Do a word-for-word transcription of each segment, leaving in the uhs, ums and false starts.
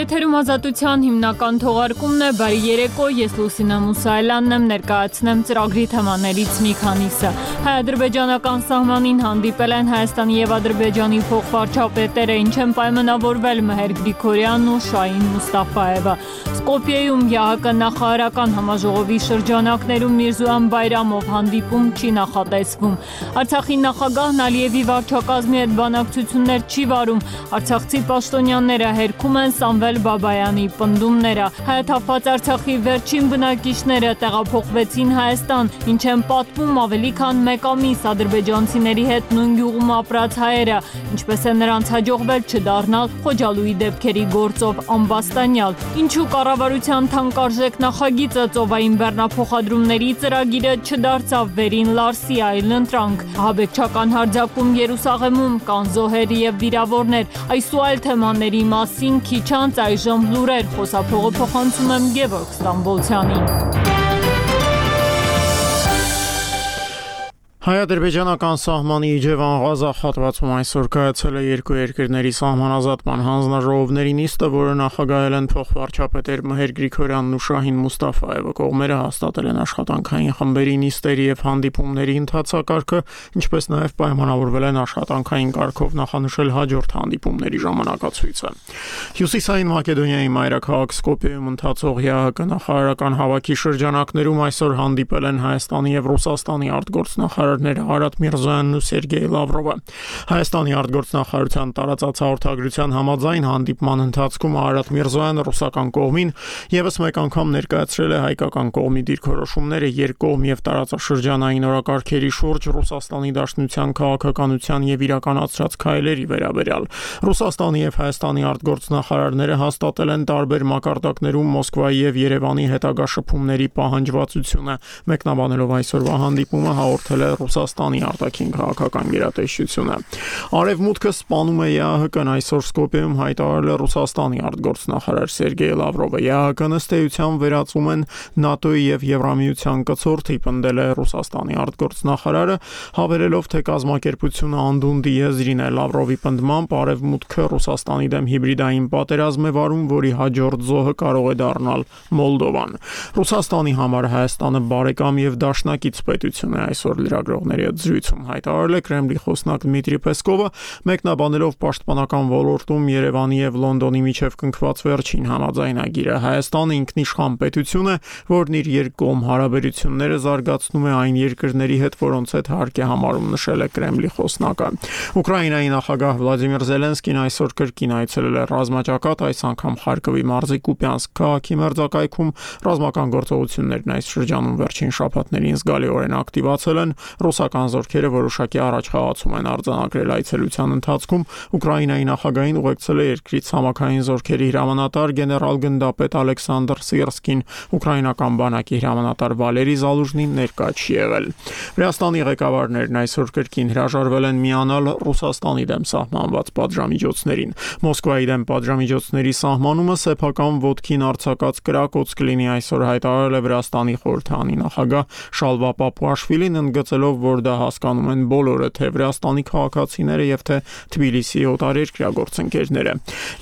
Եթերում ազատության հիմնական թողարկումն է, բարի երեկո, ես Լուսինե Մուսայելյանն եմ, ներկայացնեմ ծրագրի թեմաներից մի քանիսը։ Հայ-ադրբեջանական սահմանին հանդիպել են Հայաստանի և Ադրբեջանի փոխվարչապետերը, ինչ են պայմանավորվել Մեհեր Գրիգորյանն ու Շահին Մուստաֆայևը։ Սկոպիեում ԵԱՀԿ նախարարական համաժողովի շրջանակներում Միրզոյան Բայրամով հանդիպում չի նախատեսվում։ Արցախի նախագահն Ալիևի վարչակազմի հետ բանակցություններ չի վարում, արցախցի պաշտոնյաները հերքում են Սամվել Բաբայանի պնդումները։ Հայաթափված Արցախի վերջին բնակիչները տեղափոխվեցին Հայաստան, ինչ են պատմում ավելի քան մեկ ամիս ադրբեջանցիների հետ նույն գյուղում ապրած հայերը, ինչպես է նրանց հաջողվել չդառնալ Խոջալույի դեպքերի գործով ամբաստանյալ։ Ինչու կառավարության թանկարժեք նախագիծը ծովային բեռնափոխադրումների ծրագիրը չդարձավ վերին Լարսի այլընտրանք։ Ահաբեկչական հարձակում Երուսաղեմում, կան զոհեր և վիրավորներ։ Այս ու այլ թեմաների մասին քիչ անց այժմ լուրեր, խոսափողը փոխանցում եմ Գևորգ Ստամբոլցյանին։ Հայ-ադրբեջանական սահմանի Իջևան Ղազախ հատվածում այսօր կայացել է երկու երկրների սահմանազատման հանձնաժողովների նիստը, որը նախագահել են փոխվարչապետեր Մեհեր Գրիգորյանն ու Շահին Մուստաֆայևը։ Կողմերը հաստատել են աշխատանքային խմբերի նիստերի և հանդիպումների ընթացակարգը, ինչպես նաև պայմանավորվել են աշխատանքային կարգով նախանշել հաջորդ հանդիպումների ժամանակացույցը։ Հյուսիսային Մակեդոնիայի մայրաքաղաք Սկոպիեում ընթացող ԵԱՀԿ նախարարական հավաքի շրջանակներում այսօր հանդիպել են Հայաստանի և Ռուսաստանի արտգործնախարար Արադ Միրզոյանն ու Սերգեյ Լավրովը։ Հայաստանի արտգործնախարարության տարածած հաղորդագրության համաձայն հանդիպման ընթացքում Արադ Միրզոյանը ռուսական կողմին ևս մեկ անգամ ներկայացրել է հայկական կողմի դիրքորոշումները երկկողմ և տարածաշրջանային օրակարգերի շուրջ Ռուսաստանի Դաշնության քաղաքականության և իրականացրած քայլերի վերաբերյալ։ Ռուսաստանի և Հայաստանի արտգործնախարարները հաստատել են տարբեր մակարդակներում Մոսկվայի և Երևանի հետագա շփումների պահանջվածությունը։ Մեկնաբանելով այսօրվա հանդիպումը հաղորդել է Ռուսաստանի արտաքին քաղաքական գերատեսչությունը։ Արևմուտքը սպանում է ԵԱՀԿ-ն, այսօր Սկոպիեում հայտարարել է Ռուսաստանի արտգործնախարար Սերգեյ Լավրովը։ ԵԱՀԿ-ն ըստ էության վերածում են ՆԱՏՕ-ի և Եվրամիության կցորդի, պնդել է Ռուսաստանի արտգործնախարարը, հավելելով, թե կազմակերպությունը անդունդի եզրին է։ Լավրովի պնդմամբ Արևմուտքը Ռուսաստանի դեմ հիբրիդային պատերազմ է վարում, որի հաջորդ զոհը կարող է դառնալ Մոլդովան։ Ռուսաստանի համար Հայաստանը բարեկամ և դաշնակից պետություն է, այսօր լրագրողների հետ զրույցում հայտարարել է Կրեմլի խոսնակ Դմիտրի Պեսկովը, մեկնաբանելով պաշտպանական ոլորտում Երևանի և Լոնդոնի միջև կնքված վերջին համաձայնագիրը։ Հայաստանը ինքնիշխան պետություն է, որն իր երկկողմ հարաբերությունները զարգացնում է այն երկրների հետ, որոնց հետ հարկ է համարում, նշել է Կրեմլի խոսնակը։ Ուկրաինայի նախագահ Վլադիմիր Զելենսկին այսօր կրկին այցելել է ռազմաճակատ, այս անգամ Խարկովի մարզի Կուպյանսկ քաղաքի մերձակայքում։ Ռազմական գործողություններն այս շրջանում վերջին շաբաթներին զգալիորեն ակտիվացել են։ Ռուսական զորքերը որոշակի առաջխաղացում են արձանագրել այցելության ընթացքում։ Ուկրաինայի նախագահին ուղեկցել է երկրի ցամաքային զորքերի հրամանատար գեներալ-գնդապետ Ալեքսանդր Սիրսկին։ Ուկրաինական բանակի հրամանատար Վալերի Զալուժնին ներկա չի եղել։ Վրաստանի ղեկավարներն այսօր կրկին հրաժարվել են միանալ Ռուսաստանի դեմ սահմանված պատժամիջոցներին։ Մոսկվայի դեմ պատժամիջոցների սահմանումը սեփական ոտքին արձակած կրակոց կլինի, այսօր հայտարարել է Վրաստանի խորհրդանի նախագահ Շալվա Պապուաշվիլին, ընդգծելով, որ դա հասկանում են բոլորը, թե Վրաստանի քաղաքացիները և թե Թբիլիսիի օտարերկրյա գործընկերները։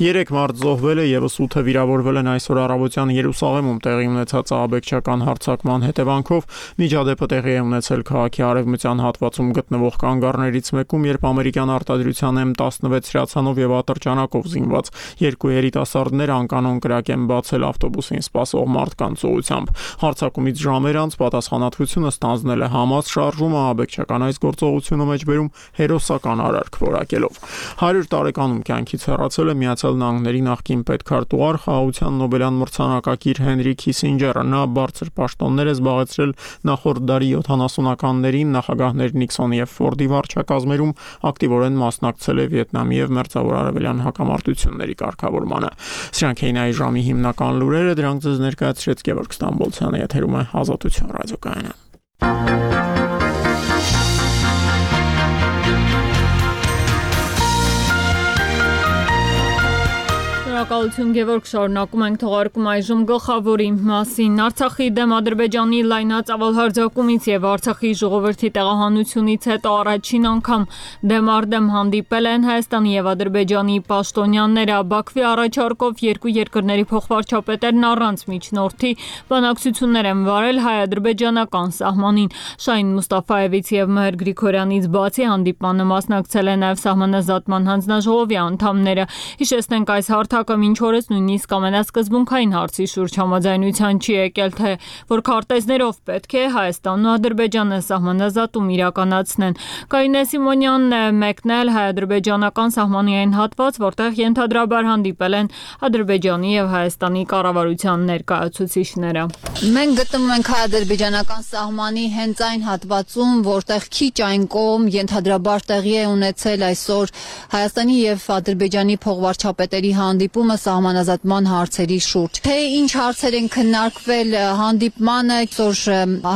Երեք մարդ զոհվել է, ևս ութը վիրավորվել են այսօր առավոտյան Երուսաղեմում տեղի ունեցած ահաբեկչական հարձակման հետևանքով։ Միջադեպը տեղի է ունեցել քաղաքի արևմտյան հատվածում գտնվող կանգառներից մեկում, երբ ամերիկյան արտադրության էմ տասնվեց հրացանով և ատրճանակով զինված երկու երիտասարդներ անկանոն կրակ են բացել ավտոբուսին սպասող մարդկանց ուղղությամբ։ Հարձակումից ժամեր անց պատասխանատվությունը ստանձնել է Համաս, շարժումը ահաբեկչական այս գործողությունը մեջբերում հերոսական արարք որակելով։ հարյուր տարեկանում կյանքից հեռացել է Միացյալ Նահանգների նախկին պետքարտուղար, խաղաղության Նոբելյան մրցանակակիր Հենրի Քիսինջերը։ Նա բարձր պաշտոններ է զբաղեցրել նախորդ դարի յոթանասունականներին, նախագահներ Նիքսոնի և Ֆորդի վարչակազմերում, ակտիվորեն մասնակցել է Վիետնամի և Մերձավոր Արևելյան հակամարտությունների կարգավորմանը։ Սրանք էին այս ժամի հիմնական լուրերը, դրանք ձեզ ներկայացրեց Գևորգ Ստամբոլցյանը, եթերում է Ազատություն ռադիոկայանը։ Շնորհակալություն Գևորգ, շարունակում ենք թողարկում այժմ գլխավորի մասին։ Արցախի դեմ Ադրբեջանի լայնածավալ հարձակումից եւ Արցախի ժողովրդի տեղահանությունից հետո առաջին անգամ դեմ առ դեմ հանդիպել են Հայաստանի եւ Ադրբեջանի պաշտոնյաները։ Բաքվի առաջարկով երկու երկրների փոխվարչապետերն առանց միջնորդի բանակցություններ են վարել հայ-ադրբեջանական սահմանին։ Շահին Մուստաֆայևից եւ Մհեր Գրիգորյանից բացի հանդիպմանը մասնակցել են նաեւ Սահմանազատման հանձնաժողովի անդամները։ Հիշեցնենք, այս հարթակը մինչ օրս նույնիսկ ամենասկզբունքային հարցի շուրջ համաձայնության չի եկել, թե որ քարտեզներով պետք է Հայաստանն ու Ադրբեջանը սահմանազատում իրականացնեն։ Կարինե Սիմոնյանն է մեկնել հայ-ադրբեջանական սահմանի այն հատված, որտեղ ենթադրաբար հանդիպել են Ադրբեջանի եւ Հայաստանի կառավարության ներկայացուցիչները։ Մենք գտնվում ենք հայ-ադրբեջանական սահմանի հենց այն հատվածում, որտեղ քիչ այն կողմ ենթադրաբար տեղի է ունեցել այսօր Հայաստանի եւ Ադրբեջանի փոխվարչապետերի հանդիպումը սահմանազատման հարցերի շուրջ։ Թե ինչ հարցեր են քննարկվել հանդիպմանը, այսօր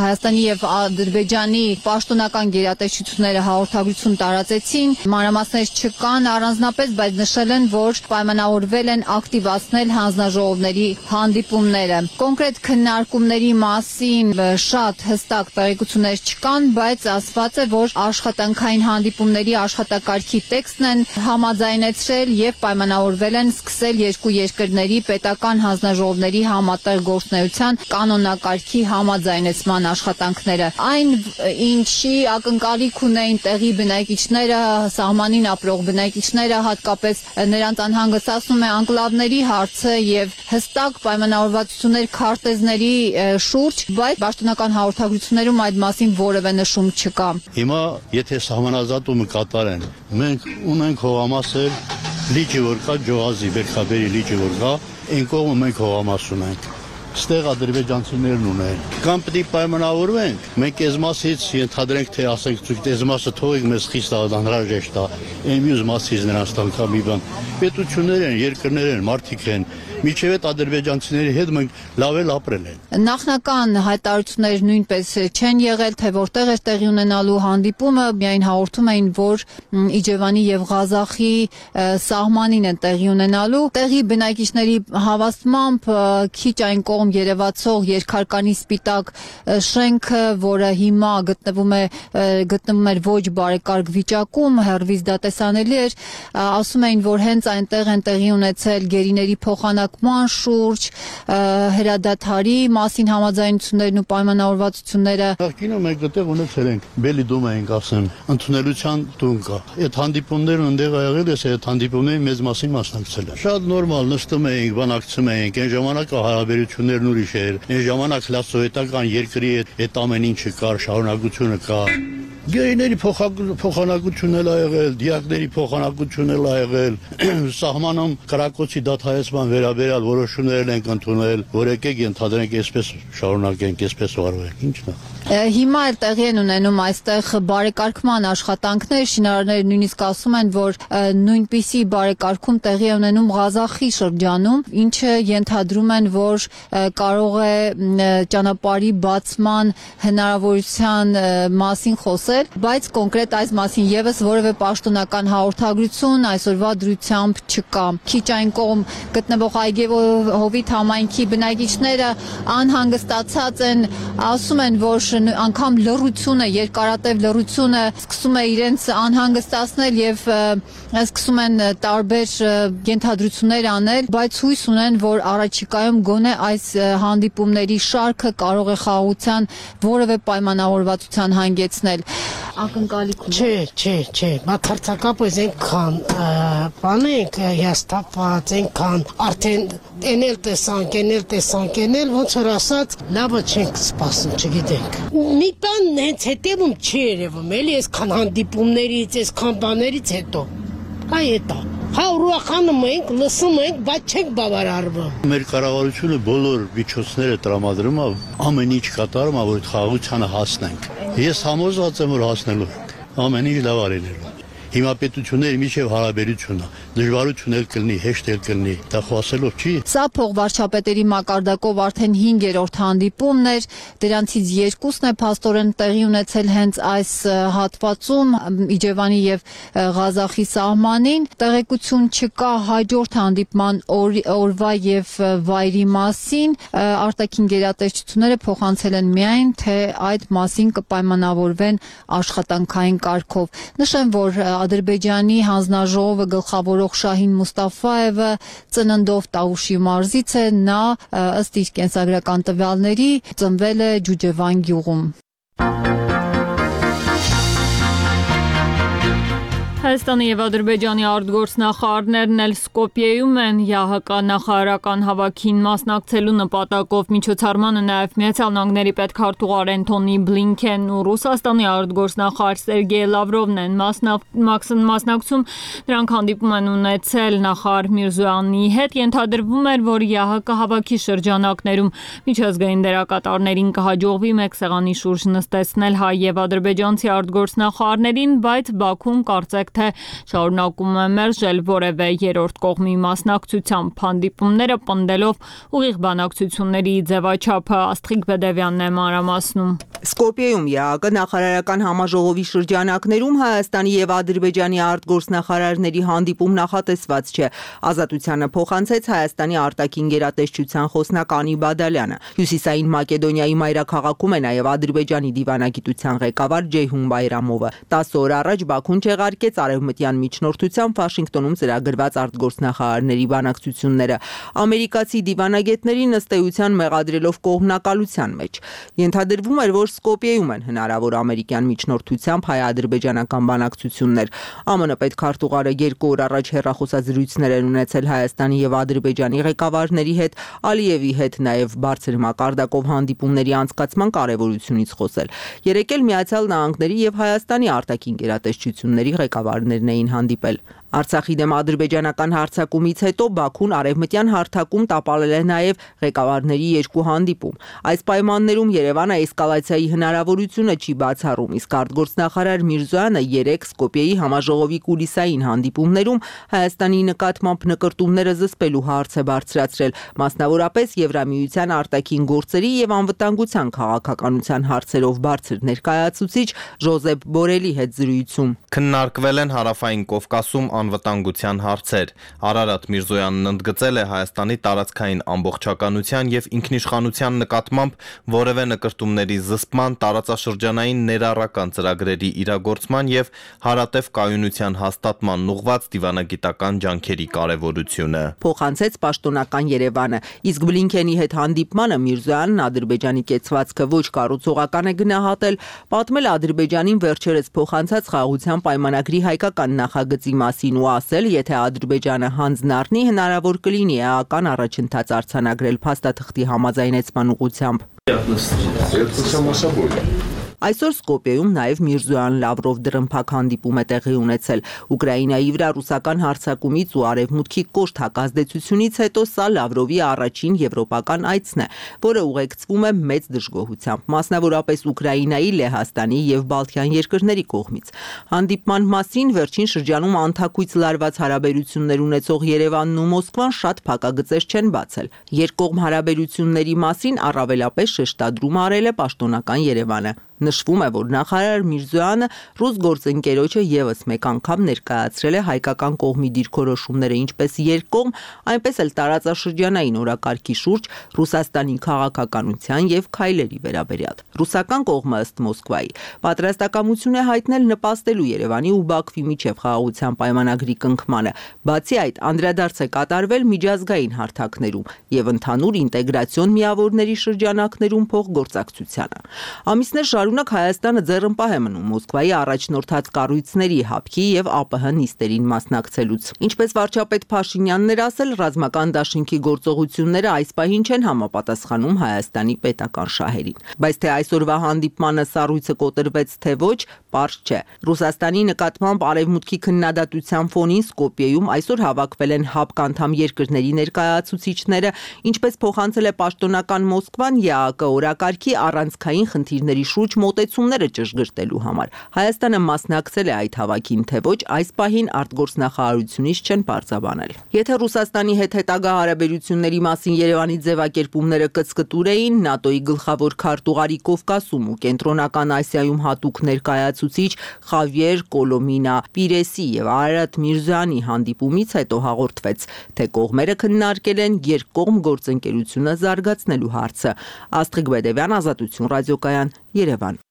Հայաստանի եւ Ադրբեջանի պաշտոնական գերատեսչությունները հաղորդագրություն տարածեցին, մանրամասներ չկան առանձնապես, բայց նշել են, որ պայմանավորվել են ակտիվացնել հանձնաժողովների հանդիպումները։ Կոնկրետ քննարկումների մասին շատ հստակ տեղեկություններ չկան, բայց ասված է, որ աշխատանքային հանդիպումների աշխատակարգի տեքստն են համաձայնեցրել եւ պայմանավորվել են սկսել երկու երկրների պետական հանձնաժողովների համատեղ գործունեության կանոնակարգի համաձայնեցման աշխատանքները։ Այն, ինչի ակնկալիք ունեին տեղի բնակիչները, սահմանին ապրող բնակիչները, հատկապես նրանց անհանգստացնում է անկլավների հարցը եւ հստակ պայմանավորվածություններ քարտեզների շուրջ, բայց պաշտոնական հաղորդագրություններում այդ մասին որևէ նշում չկա։ Հիմա եթե սահմանազատումը կատարեն, մենք ունենք հողամասեր, լիճը որ կա, Ջոհազի Բերքաբերի լիճը որ կա, այն կողմը մենք հողամաս ունենք։ Ստեղ ադրբեջանցիներն ունեն։ Կամ պետք է պայմանավորվենք, մենք այս մասից ենթադրենք, թե ասենք, ցույց այս մասը թողեք մեզ խիստ անհրաժեշտ է։ Այն մյուս մասից նրանց տան կա մի բան։ Պետություններ են, երկրներ են, մարդիկ են։ Միջև այդ ադրբեջանցիների հետ մենք լավ էլ ապրել են։ Նախնական հայտարարություններ նույնպես չեն եղել, թե որտեղ է տեղի ունենալու հանդիպումը, միայն հաղորդում էին, որ Իջևանի եւ Ղազախի սահմանին են տեղի ունենալու։ Տեղի բնակիչների հավաստմամբ քիչ այն կողմ երևացող երկհարկանի սպիտակ շենքը, որը հիմա գտնվում է գտնվում էր ոչ բարեկարգ վիճակում, հեռվից դա տեսանելի էր, ասում էին, որ հենց այնտեղ են տեղի ունեցել գերիների փոխանակման շուրջ, հրադադարի մասին համաձայնություններն ու պայմանավորվածությունները։ Նախկինում մենք այդտեղ ունեցել ենք բելի դում ենք ասեմ, ընդունելության տուն կա։ Այդ հանդիպումներն ընդեղ ա եղել, ես այդ հանդիպումներին մեծ մասին մասնակցել եմ։ Շատ նորմալ նստում էինք, բանակցում էինք, այն ժամանակ հարաբերություններն ուրիշ էր։ Այն ժամանակ լասովետական երկրի այդ ամեն ինչը կար, շարունակությունը կա։ Գերիների փոխանակություն էլ ա եղել, դիակների փոխանակություն էլ ա եղել, սահմանում կրակոցի դադարեցման վերաբերյալ որոշումներ ենք ընդունել, որ եկեք ենթադրենք այսպես շարունակենք, այսպես վարվենք, ինչն է։ Հիմա էլ տեղի են ունենում այստեղ բարեկարգման աշխատանքներ, շինարարները նույնիսկ ասում են, որ նույնպիսի բարեկարգում տեղի է ունենում Ղազախի շրջանում, ինչը ենթադրում են, որ կարող է ճանապարհի բացման հնարավորության մասին խոսել, բայց կոնկրետ այս մասին եւս որևէ պաշտոնական հաղորդագրություն այսօրվա դրությամբ չկա։ Քիչ այն կողմ գտնվող Այգեհովիտ համայնքի բնակիչները անհանգստացած են, ասում են, որ անգամ լռությունը, երկարատև լռությունը սկսում է իրենց անհանգստացնել եւ սկսում են տարբեր ենթադրություններ անել, բայց հույս ունեն, որ առաջիկայում գոնե այս հանդիպումների շարքը կարող է խաղաղության որևէ պայմանավորվածության հանգեցնել։ Ակնկալիք ունի։ Չէ, չէ, չէ, բացարձակապես այնքան բան ենք հիասթափված, այնքան արդեն էնել տեսանք, էնել տեսանք, էնել ոնց որ ասած լավը չենք սպասում, չգիտենք։ Մի բան հենց հետևում չի երևում, էլի այսքան հանդիպումներից, այսքան բաներից հետո։ Այ էտա։ Հա ուրախանում ենք, լսում ենք, բայց չենք բավարարվում։ Մեր կառավարությունը բոլոր միջոցները տրամադրում է, ամեն ինչ կատարում է, որ խաղաղությանը հասնենք։ Ես համոզված եմ, որ հասնելու ենք։ Ամեն ինչ լավ արելու։ Հիմա պետությունների միջև հարաբերությունը դժվարություն էլ կլինի, հեշտ էլ կլինի, դա խոսելով չի։ Սա փոխվարչապետերի մակարդակով արդեն հինգերորդ հանդիպումն էր, դրանցից երկուսն է փաստորեն տեղի ունեցել հենց այս հատվածում Իջևանի եւ Ղազախի սահմանին։ Տեղեկություն չկա հաջորդ հանդիպման օրվա եւ վայրի մասին, արտաքին գերատեսչությունները փոխանցել են միայն, թե այդ մասին կպայմանավորվեն աշխատանքային կարգով։ Նշեմ, որ Ադրբեջանի հանձնաժողովը գլխավորող Շահին Մուստաֆաևը ծննդով Տավուշի մարզից է, նա ըստ իր կենսագրական տվյալների ծնվել է Ջուջևան գյուղում։ Հայաստանի եւ Ադրբեջանի արտգործնախարարներն էլ Սկոպիեում են ԵԱՀԿ նախարարական հավաքին մասնակցելու նպատակով միջոցառմանը նաեւ Միացյալ Նահանգների պետքարտուղար Էնթոնի Բլինքենն ու Ռուսաստանի արտգործնախարար Սերգեյ Լավրովն են մասնակցում։ Նրանք հանդիպում են ունեցել նախարար Միրզոյանի հետ։ Ենթադրվում էր, որ ԵԱՀԿ հավաքի շրջանակներում միջազգային դերակատարներին կհաջողվի մեկ սեղանի շուրջ նստեցնել հայ եւ ադրբեջանցի արտգործնախարարներին, բայց Բաքուն կարծեք թե շարունակում է մերժել որևէ երրորդ կողմի մասնակցությամբ հանդիպումները, պնդելով ուղիղ բանակցությունների ձևաչափը։ Աստղիկ Բեդևյանն է մանրամասնում։ Սկոպիեում ԵԱՀԿ նախարարական համաժողովի շրջանակներում Հայաստանի եւ Ադրբեջանի արտգործնախարարների հանդիպում նախատեսված չէ։ Ազատությանը փոխանցեց Հայաստանի արտաքին գերատեսչության խոսնակ Անի Բադալյանը։ Հյուսիսային Մակեդոնիայի մայրաքաղաքում է նաեւ Ադրբեջանի դիվանագիտության ղեկավար Ջեյհուն Բայրամովը։ տասը օր առաջ Բաքուն չեղարկեց արևմտյան միջնորդությամբ Վաշինգտոնում ծրագրված արտգործնախարարների բանակցությունները ամերիկացի դիվանագետներին ըստ էության մեղադրելով կողմնակալության մեջ։ Ենթադրվում էր, որ Սկոպիեում են հնարավոր ամերիկյան միջնորդությամբ հայ-ադրբեջանական բանակցություններ։ ԱՄՆ պետքարտուղարը երկու օր առաջ հեռախոսազրույցներ են ունեցել Հայաստանի եւ Ադրբեջանի ղեկավարների հետ, Ալիևի հետ նաեւ բարձր մակարդակով հանդիպումների անցկացման կարեւորությունից խոսել։ Երեկ էլ Միացյալ Նահանգների եւ Հայաստանի արտաքին գերատեսչությունների ղեկավարներն էին հանդիպել։ Արցախի դեմ ադրբեջանական հարձակումից հետո Բաքուն արևմտյան հարթակում տապալել է նաև ղեկավարների երկու հանդիպում։ Այս պայմաններում Երևանը էսկալացիայի հնարավորությունը չի բացառում, իսկ արտգործնախարար Միրզոյանը երեք Սկոպիեի համաժողովի կուլիսային հանդիպումներում Հայաստանի նկատմամբ նկրտումները զսպելու հարց է բարձրացրել, մասնավորապես Եվրամիության արտաքին գործերի եւ անվտանգության քաղաքականության հարցերով բարձր ներկայացուցիչ Ժոզեփ Բորելի հետ զրույցում։ Քննարկվել են Հարավային Կովկասում անվտանգության հարցեր։ Արարատ Միրզոյանն ընդգծել է Հայաստանի տարածքային ամբողջականության եւ ինքնիշխանության նկատմամբ որևէ նկրտումների զսպման, տարածաշրջանային ներառական ծրագրերի իրագործման եւ հարատև կայունության հաստատման ուղղված դիվանագիտական ջանքերի կարեւորությունը։ Փոխանցեց պաշտոնական Երևանը, իսկ Բլինքենի հետ հանդիպմանը Միրզոյանն Ադրբեջանի կեցվածքը ոչ կառուցողական է գնահատել, պատմել Ադրբեջանին վերջերս փոխանցած խաղաղության պայմանագրի հայկական նախագծի մասին ու ասել, եթե Ադրբեջանը հանձնառնի, հնարավոր կլինի էական առաջընթաց արձանագրել փաստաթղթի համաձայնեցման ուղղությամբ։ Այսօր Սկոպիեում նաև Միրզոյան-Լավրով դրըմփակ հանդիպում է տեղի ունեցել։ Ուկրաինայի վրա ռուսական հարձակումից ու արևմուտքի կոշտ հակազդեցությունից հետո սա Լավրովի առաջին եվրոպական այցն է, որը ուղեկցվում է մեծ դժգոհությամբ, մասնավորապես Ուկրաինայի, Լեհաստանի եւ Բալթյան երկրների կողմից։ Հանդիպման մասին վերջին շրջանում անթակույց լարված հարաբերություններ ունեցող Երևանն ու Մոսկվան շատ փակագծեր չեն բացել։ Երկկողմ հարաբերությունների մասին առավելապես շեշտադրում արել է պաշտոնական Երևանը։ Նշվում է, որ նախարար Միրզոյանը ռուս գործընկերոջը եւս մեկ անգամ ներկայացրել է հայկական կողմի դիրքորոշումները ինչպես երկկողմ, այնպես էլ տարածաշրջանային օրակարգի շուրջ Ռուսաստանի քաղաքականության եւ քայլերի վերաբերյալ։ Ռուսական կողմը ըստ Մոսկվայի պատրաստակամություն է հայտնել նպաստելու Երևանի ու Բաքվի միջև խաղաղության պայմանագրի կնքմանը։ Բացի այդ, անդրադարձ է կատարվել միջազգային հարթակներում եւ ընդհանուր ինտեգրացիոն միավորների շրջանակներում փոխգործակցությանը։ Ամիսներ շարունակ Հայաստանը ձեռնպահ է մնում Մոսկվայի առաջնորդած կառույցների հապկի եւ ԱՊՀ նիստերին մասնակցելուց։ Ինչպես վարչապետ Փաշինյանն էր ասել, ռազմական դաշինքի գործողությունները այս պահին չեն համապատասխանում Հայաստանի պետական շահերին։ Բայց թե այսօրվա հանդիպմանը սառույցը կոտրվեց թե ոչ, պարզ չէ։ Ռուսաստանի նկատմամբ արևմուտքի քննադատության ֆոնին Սկոպիեում այսօր հավաքվել են հապկ անդամ երկրների ներկայացուցիչները, ինչպես փոխանցել է պաշտոնական Մոսկվան, ԵԱՀԿ օրակարգի առանցքային խնդիրների շուրջ մոտեցումները ճշգրտելու համար։ Հայաստանը մասնակցել է այդ հավաքին, թե ոչ, այս պահին արտգործնախարարությունից չեն պարզաբանել։ Եթե Ռուսաստանի հետ հետագա հարաբերությունների մասին Երևանի ձևակերպումները կծկտուր էին, ՆԱՏՕ-ի գլխավոր քարտուղարի Կովկասում ու Կենտրոնական Ասիայում հատուկ ներկայացուցիչ Խավիեր Կոլոմինա Պիրեսի եւ Արարատ Միրզոյանի հանդիպումից հետո հաղորդվեց, թե կողմերը քննարկել են երկկողմ գործընկերությունը զարգացնելու հարցը։ Աստղիկ Բեդևյան, Ազատություն ռադիոկայան, Երևան։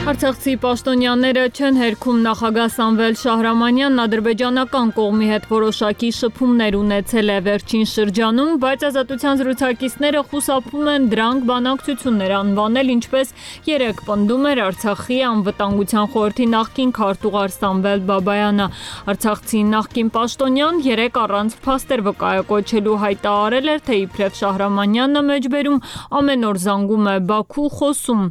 Արցախցի պաշտոնյաները չեն հերքում նախագահ Սամվել Շահրամանյանն ադրբեջանական կողմի հետ որոշակի շփումներ ունեցել է վերջին շրջանում, բայց ազատության զրուցակիցները խուսափում են դրանք բանակցություններ անվանել, ինչպես երեկ պնդում էր Արցախի անվտանգության խորհրդի նախկին քարտուղար Սամվել Բաբայանը։ Արցախցի նախկին պաշտոնյան երեկ առանց փաստեր վկայակոչելու հայտարարել էր, թե իբրև Շահրամանյանն մեջբերում ամեն օր զանգում է Բաքու, խոսում։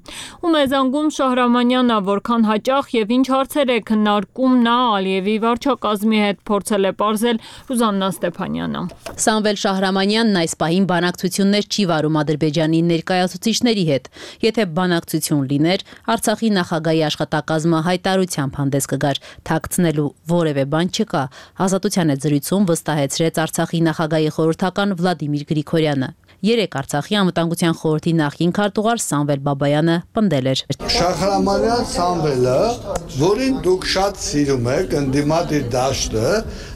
Ում է զանգում Շահրամանյանը, որքան հաճախ եւ ինչ հարցեր է քննարկում նա Ալիևի վարչակազմի հետ, փորձել է պարզել Ռուզաննա Ստեփանյանը։ Սամվել Շահրամանյանն այս պահին բանակցություններ չի վարում Ադրբեջանի ներկայացուցիչների հետ։ Եթե բանակցություն լիներ, Արցախի նախագահի աշխատակազմը հայտարարությամբ հանդես կգար, թաքցնելու որևէ բան չկա, Ազատության հետ զրույցում վստահեցրեց Արցախի նախագահի խորհրդական Վլադիմիր Գրիգորյանը։ Երեկ Արցախի անվտանգության խորհրդի նախկին քարտուղար Սամվել Բաբայանը պնդել էր. Շահրամանյան Սամվելը, որին դուք շատ սիրում եք, ընդդիմադիր դաշտը,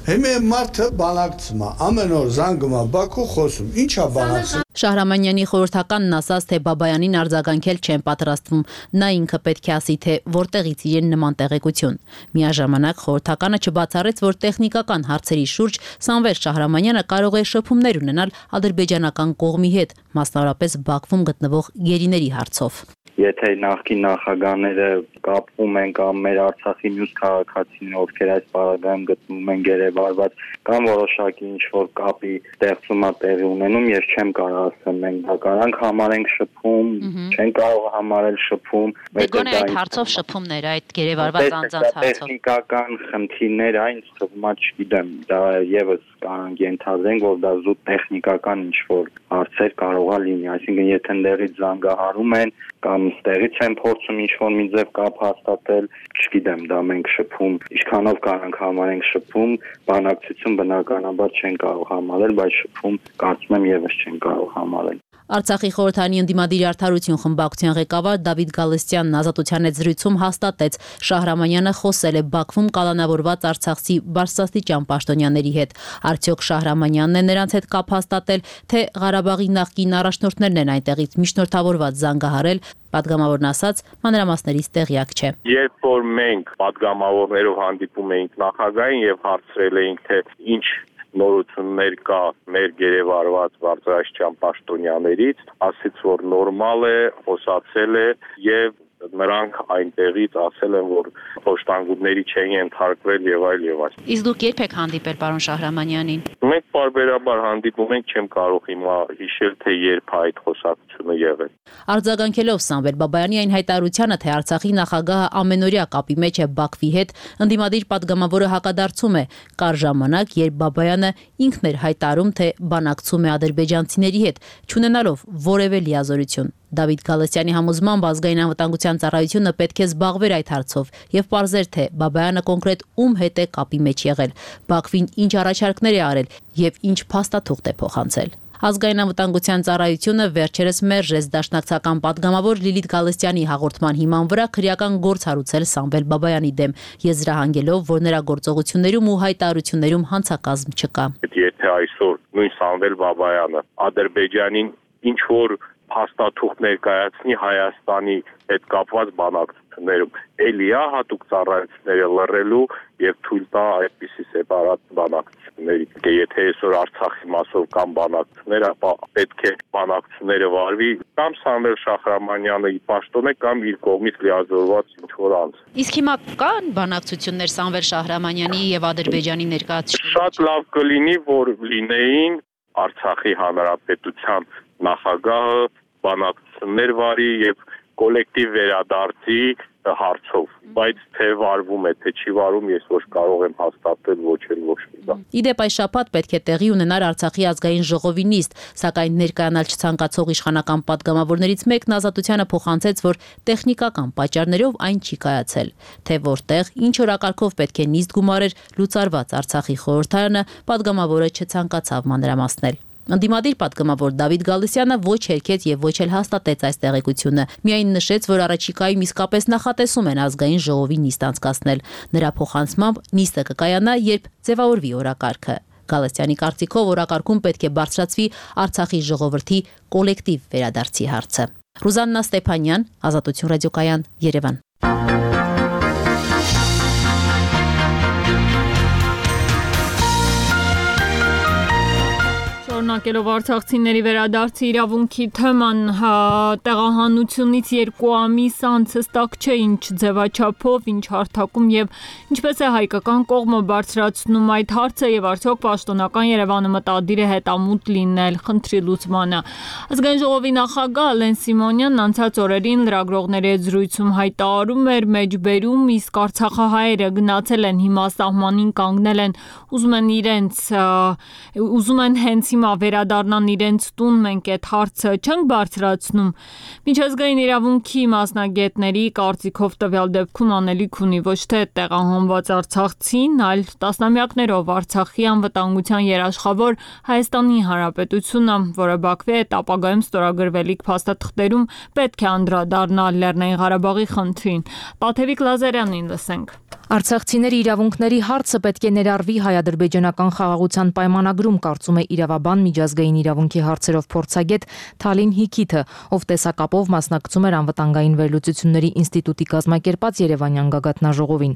հիմա մարդը բանակցում է, ամեն օր զանգում է Բաքու, խոսում, ի՞նչ է բանակցում։ Շահրամանյանի խորհրդականն ասաց, թե Բաբայանին արձագանքել չեն պատրաստվում, նա ինքը պետք է ասի, թե որտեղից իրեն նման տեղեկություն։ Միաժամանակ խորհրդականը չբացառեց, որ տեխնիկական հարցերի շուրջ Սամվել Շահրամանյանը կարող է շփումներ ունենալ ադրբեջանական կողմի հետ, մասնավորապես Բաքվում գտնվող գերիների հարցով։ Եթե նախկին նախագահները կապվում են կամ մեր Արցախի մյուս քաղաքացիներ, ովքեր այս պարագայում գտնվում են գերեվարված, կամ որոշակի ինչ-որ կապի ստեղծումա տեղի ունենում, ես չեմ կարող ասեմ, մենք դա կարանք համարենք շփում, չեն կարող համարել շփում։ Գոնե այդ հարցով շփումներ, այդ գերեվարված անձանց հարցով։ Տեխնիկական խնդիրներ, այն թվում է, չգիտեմ, դա եւս կարանք ենթադրենք, որ դա զուտ տեխնիկական ինչ-որ հարցեր կարող է լինի, այսինքն եթե ընդերից զանգահարում են կամ ստեղից են փորձում ինչ-որ մի ձև կապ հաստատել, չգիտեմ, դա մենք շփում, ինչքանով կարանք համարենք շփում, բանակցություն բնականաբար չեն կարող համարել, բայց շփում կարծում եմ եւս չեն կարող համարել։ Արցախի խորհրդանի ընդդիմադիր արդարություն խմբակցության ղեկավար Դավիթ Գալստյանն Ազատության հետ զրույցում հաստատեց, Շահրամանյանը խոսել է Բաքվում կալանավորված արցախցի բարձրաստիճան պաշտոնյաների հետ։ Արդյոք Շահրամանյանն է նրանց հետ կապ հաստատել, թե Ղարաբաղի նախկին առաջնորդներն են այնտեղից միջնորդավորված զանգահարել, պատգամավորն ասաց, մանրամասներից տեղյակ չէ։ Երբ որ մենք պատգամավորներով հանդիպում էինք նախագահին եւ հարցրել էինք, թե ինչ նորություններ կա մեր գերեվարված բարձրաստիճան պաշտոնյաներից, ասից որ նորմալ է, խոսացել է եւ նրանք այնտեղից ասել են, որ փոշտանգումների չեն ենթարկվել եւ այլ եւ այլ։ Իսկ դուք երբ եք հանդիպել պարոն Շահրամանյանին։ Մենք բարբերաբար հանդիպում ենք, չեմ կարող հիմա հիշել, թե երբ այդ խոսակցությունը եղել։ Արձագանքելով Սամվել Բաբայանի այն հայտարարությանը, թե Արցախի նախագահը ամենօրյա կապի մեջ է Բաքվի հետ, ընդդիմադիր պատգամավորը հակադարձում է, կար ժամանակ, երբ Բաբայանը ինքն էր հայտարարում, թե բանակցում է ադրբեջանցիների հետ, չունենալով որևէ լիազորություն։ Դավիթ Գալստյանի համոզմամբ ազգային անվտանգության ծառայությունը պետք է զբաղվեր այդ հարցով եւ պարզեր, թե Բաբայանը կոնկրետ ում հետ է կապի մեջ եղել, Բաքվին ինչ առաջարկներ է արել եւ ինչ փաստաթուղթ է փոխանցել։ Ազգային անվտանգության ծառայությունը վերջերս մերժեց դաշնակցական պատգամավոր Լիլիթ Գալստյանի հաղորդման հիման վրա քրեական գործ հարուցել Սամվել Բաբայանի դեմ, եզրահանգելով, որ նրա գործողություններում ու հայտարարություններում հանցակազմ չկա։ Եթե այսօր նույն Սամվել Բաբայանը Ադրբեջանին ինչ որ փաստաթուղթ ներկայացնի Հայաստանի հետ կապված բանակցություններում, էլի է հատուկ ծառայությունները լռելու եւ թույլ տա այդպիսի սեպարատ բանակցությունների։ Եթե այսօր Արցախի մասով կամ բանակցություններ, ապա պետք է բանակցությունները վարվի կամ Սամվել Շահրամանյանը պաշտոն է կամ իր կողմից լիազորված ինչ-որ անձ։ Իսկ հիմա կան բանակցություններ Սամվել Շահրամանյանի եւ Ադրբեջանի ներկայացուցիչների։ Շատ լավ կլինի, որ լինեին Արցախի հանրապետության նախագահը բանակցություններ վարի եւ կոլեկտիվ վերադարձի հարցով, բայց թե վարվում է, թե չի վարվում, ես ոչ կարող եմ հաստատել ոչ էլ ոչ մի բան։ Իդեպ այս շաբաթ պետք է տեղի ունենար Արցախի ազգային ժողովի նիստ, սակայն ներկայանալ չցանկացող իշխանական պատգամավորներից մեկն Ազատությանը փոխանցեց, որ տեխնիկական պատճառներով այն չի կայացել։ Թե որտեղ, ինչ օրակարգով պետք է նիստ գումարեր լուծարված Արցախի խորհրդարանը, պատգամավորը չցանկացավ մանրամասնել։ Ընդդիմադիր պատգամավոր Դավիթ Գալստյանը ոչ հերքեց եւ ոչ էլ հաստատեց այս տեղեկությունը։ Միայն նշեց, որ առաջիկայում իսկապես նախատեսում են ազգային ժողովի նիստ անցկացնել։ Նրա փոխանցմամբ նիստը կկայանա, երբ ձևավորվի օրակարգը։ Գալստյանի կարծիքով օրակարգում պետք է բարձրացվի Արցախի ժողովրդի կոլեկտիվ վերադարձի հարցը։ Ռուզաննա Ստեփանյան, Ազատություն ռադիոկայան, Երևան։ Շարունակելով արցախցիների վերադարձի իրավունքի թեման, տեղահանությունից երկու ամիս անց հստակ չէ ինչ ձևաչափով, ինչ հարթակում եւ ինչպես է հայկական կողմը բարձրացնում այդ հարցը եւ արդյոք պաշտոնական Երևանը մտադիր է հետամուտ լինել խնդրի լուծմանը։ Ազգային ժողովի նախագահ Ալեն Սիմոնյանն անցած օրերին լրագրողների հետ զրույցում հայտարարում էր մեջբերում, իսկ արցախահայերը գնացել են հիմա սահմանին կանգնել են, ուզում են իրենց ուզում են հենց հիմա վերադառնան իրենց տուն, մենք այդ հարցը չենք բարձրացնում։ Միջազգային իրավունքի մասնագետների կարծիքով տվյալ դեպքում անելիք ունի ոչ թե տեղահանված արցախցին, այլ տասնամյակներով Արցախի անվտանգության երաշխավոր Հայաստանի Հանրապետությունը, որը Բաքվի հետ ապագայում ստորագրվելիք փաստաթղթերում պետք է անդրադառնալ Լեռնային Ղարաբաղի խնդրին։ Տաթևիկ Լազարյանին լսենք։ Արցախցիների իրավունքների հարցը պետք է ներառվի հայ-ադրբեջանական խաղաղության պայմանագրում, կարծում է իրավաբան միջազգային իրավունքի հարցերով փորձագետ Թալին Հիքիթը, ով տեսակապով մասնակցում էր անվտանգային վերլուծությունների ինստիտուտի կազմակերպած Երևանյան գագաթնաժողովին։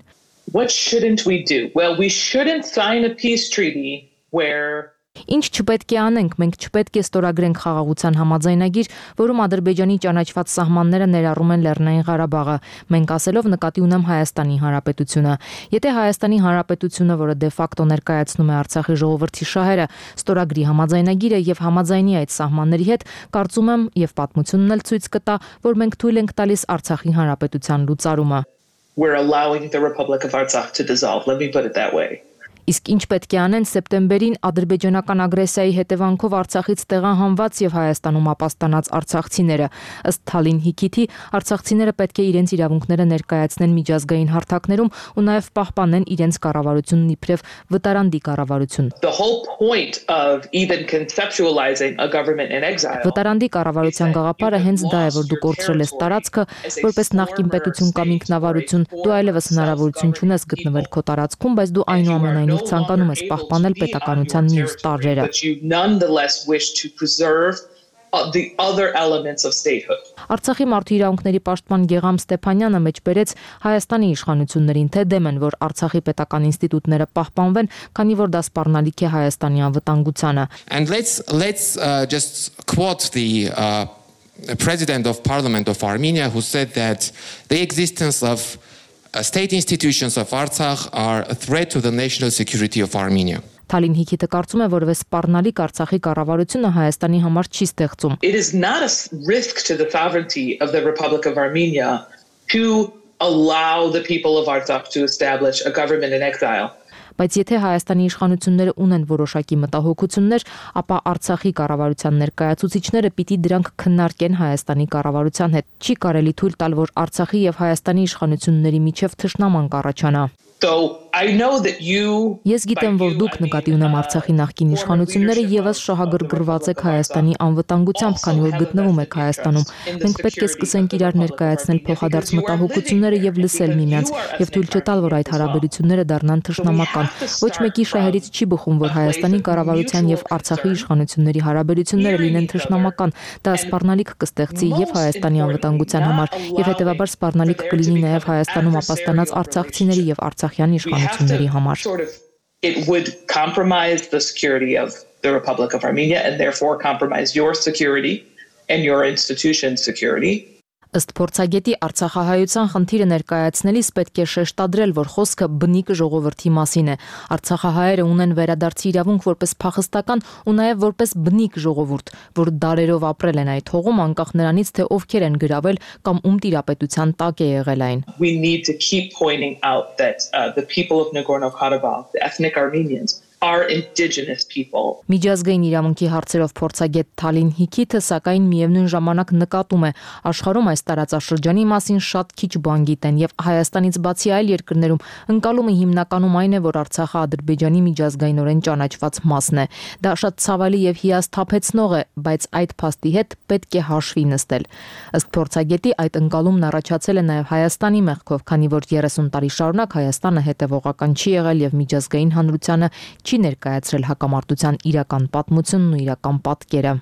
What shouldn't we do? Well, we shouldn't sign a peace treaty where Ինչ չպետք է անենք, մենք չպետք է ստորագրենք խաղաղության համաձայնագիր, որում Ադրբեջանի ճանաչված սահմանները ներառում են Լեռնային Ղարաբաղը, մենք ասելով նկատի ունեմ Հայաստանի Հանրապետությունը։ Եթե Հայաստանի Հանրապետությունը, որը դե ֆակտո ներկայացնում է Արցախի ժողովրդի շահերը, ստորագրի համաձայնագիրը եւ համաձայնի այդ սահմանների հետ, կարծում եմ եւ պատմությունն էլ ցույց կտա, որ մենք թույլ ենք տալիս Արցախի Հանրապետության լուծարումը։ We're allowing the Republic of Artsakh to dissolve. Let me put it that way. Իսկ ինչ պետք է անեն սեպտեմբերին ադրբեջանական ագրեսիայի հետևանքով Արցախից տեղահանված եւ Հայաստանում ապաստանած արցախցիները։ Ըստ Թալին Հիքիթի, արցախցիները պետք է իրենց իրավունքները ներկայացնեն միջազգային հարթակներում ու նաեւ պահպանեն իրենց կառավարությունն իբրև վտարանդի կառավարություն։ The whole point of even conceptualizing a government in exile. Վտարանդի կառավարության գաղափարը հենց դա է, որ դու կորցրել ես տարածքը, որպես նախկին պետություն կամ ինքնավարություն, դու այլևս հնարավորություն չունես գտնվել քո տարածքում, բայց դու այնուամենայնիվ ցանկանում ես պահպանել պետականության մյուս տարրերը։ Արցախի մարդու իրավունքների պաշտպան Գեգամ Ստեփանյանը մեջբերեց Հայաստանի իշխանություններին, թե դեմ են, որ Արցախի պետական ինստիտուտները պահպանվեն, քանի որ դա սպառնալիք է Հայաստանի անվտանգությանը։ And let's let's uh, just quote the uh, President of Parliament of Armenia, who said that the existence of Uh, state institutions of Artsakh are a threat to the national security of Armenia. Թալին Հիքիթը կարծում է, որ սպառնալիք Արցախի կառավարությունը Հայաստանի համար չի ստեղծում։ It is not a risk to the sovereignty of the Republic of Armenia to allow the people of Artsakh to establish a government in exile. Բայց եթե Հայաստանի իշխանությունները ունեն որոշակի մտահոգություններ, ապա Արցախի կառավարության ներկայացուցիչները պիտի դրանք քննարկեն Հայաստանի կառավարության հետ։ Չի կարելի թույլ տալ, որ Արցախի եւ Հայաստանի իշխանությունների միջև թշնամանք առաջանա։ So I know that you Ես գիտեմ, որ դուք նկատի ունեմ Արցախի նախկին իշխանությունները եւս շահագրգռված եք Հայաստանի անվտանգությամբ, քանի որ գտնվում եք Հայաստանում։ Մենք պետք է սկսենք իրար ներկայացնել փոխադարձ մտահոգությունները եւ լսել միմյանց, եւ թույլ չտալ, որ այդ հարաբերությունները դառնան թշնամական։ Ոչ մեկի շահերից չի բխում, որ Հայաստանի կառավարության եւ Արցախի իշխանությունների հարաբերությունները լինեն թշնամական։ Դա սպառնալիք կստեղծի եւ Հայաստանի անվտանգության համար, եւ հետեւաբար սպառնալիք կլինի նաեւ Հայաստանում ապաստանած արցախցիների եւ արցախյան իշխանությունների համար։ It would compromise the security of the Republic of Armenia and therefore compromise your security and your institution's security. Ըստ փորձագետի Արցախահայության խնդիրը ներկայացնելիս պետք է շեշտադրել, որ խոսքը բնիկ ժողովրդի մասին է։ Արցախահայերը ունեն վերադարձի իրավունք որպես փախստական ու նաև որպես բնիկ ժողովուրդ, որ դարերով ապրել են այդ հողում, անկախ նրանից, թե ովքեր են գրավել կամ ում տիրապետության տակ է եղել այն։ We need to keep pointing out that uh, the people of Nagorno-Karabakh, the ethnic Armenians, are indigenous people. Միջազգային իրավունքի հարցերով փորձագետ Թալին Հիքիթը սակայն միևնույն ժամանակ նկատում է, աշխարհում այս տարածաշրջանի մասին շատ քիչ բան գիտեն եւ Հայաստանից բացի այլ երկրներում ընկալումը հիմնականում այն է, որ Արցախը Ադրբեջանի միջազգայինորեն ճանաչված մասն է։ Դա շատ ցավալի եւ հիասթափեցնող է, բայց այդ փաստի հետ պետք է հաշվի նստել։ Ըստ փորձագետի այդ ընկալումն առաջացել է նաեւ Հայաստանի մեղքով, քանի որ երեսուն տարի շարունակ Հայաստանը հետևողական չի եղել եւ միջազգային հանրությանը չի ներկայացրել հակամարտության իրական պատմությունն ու իրական պատկերը։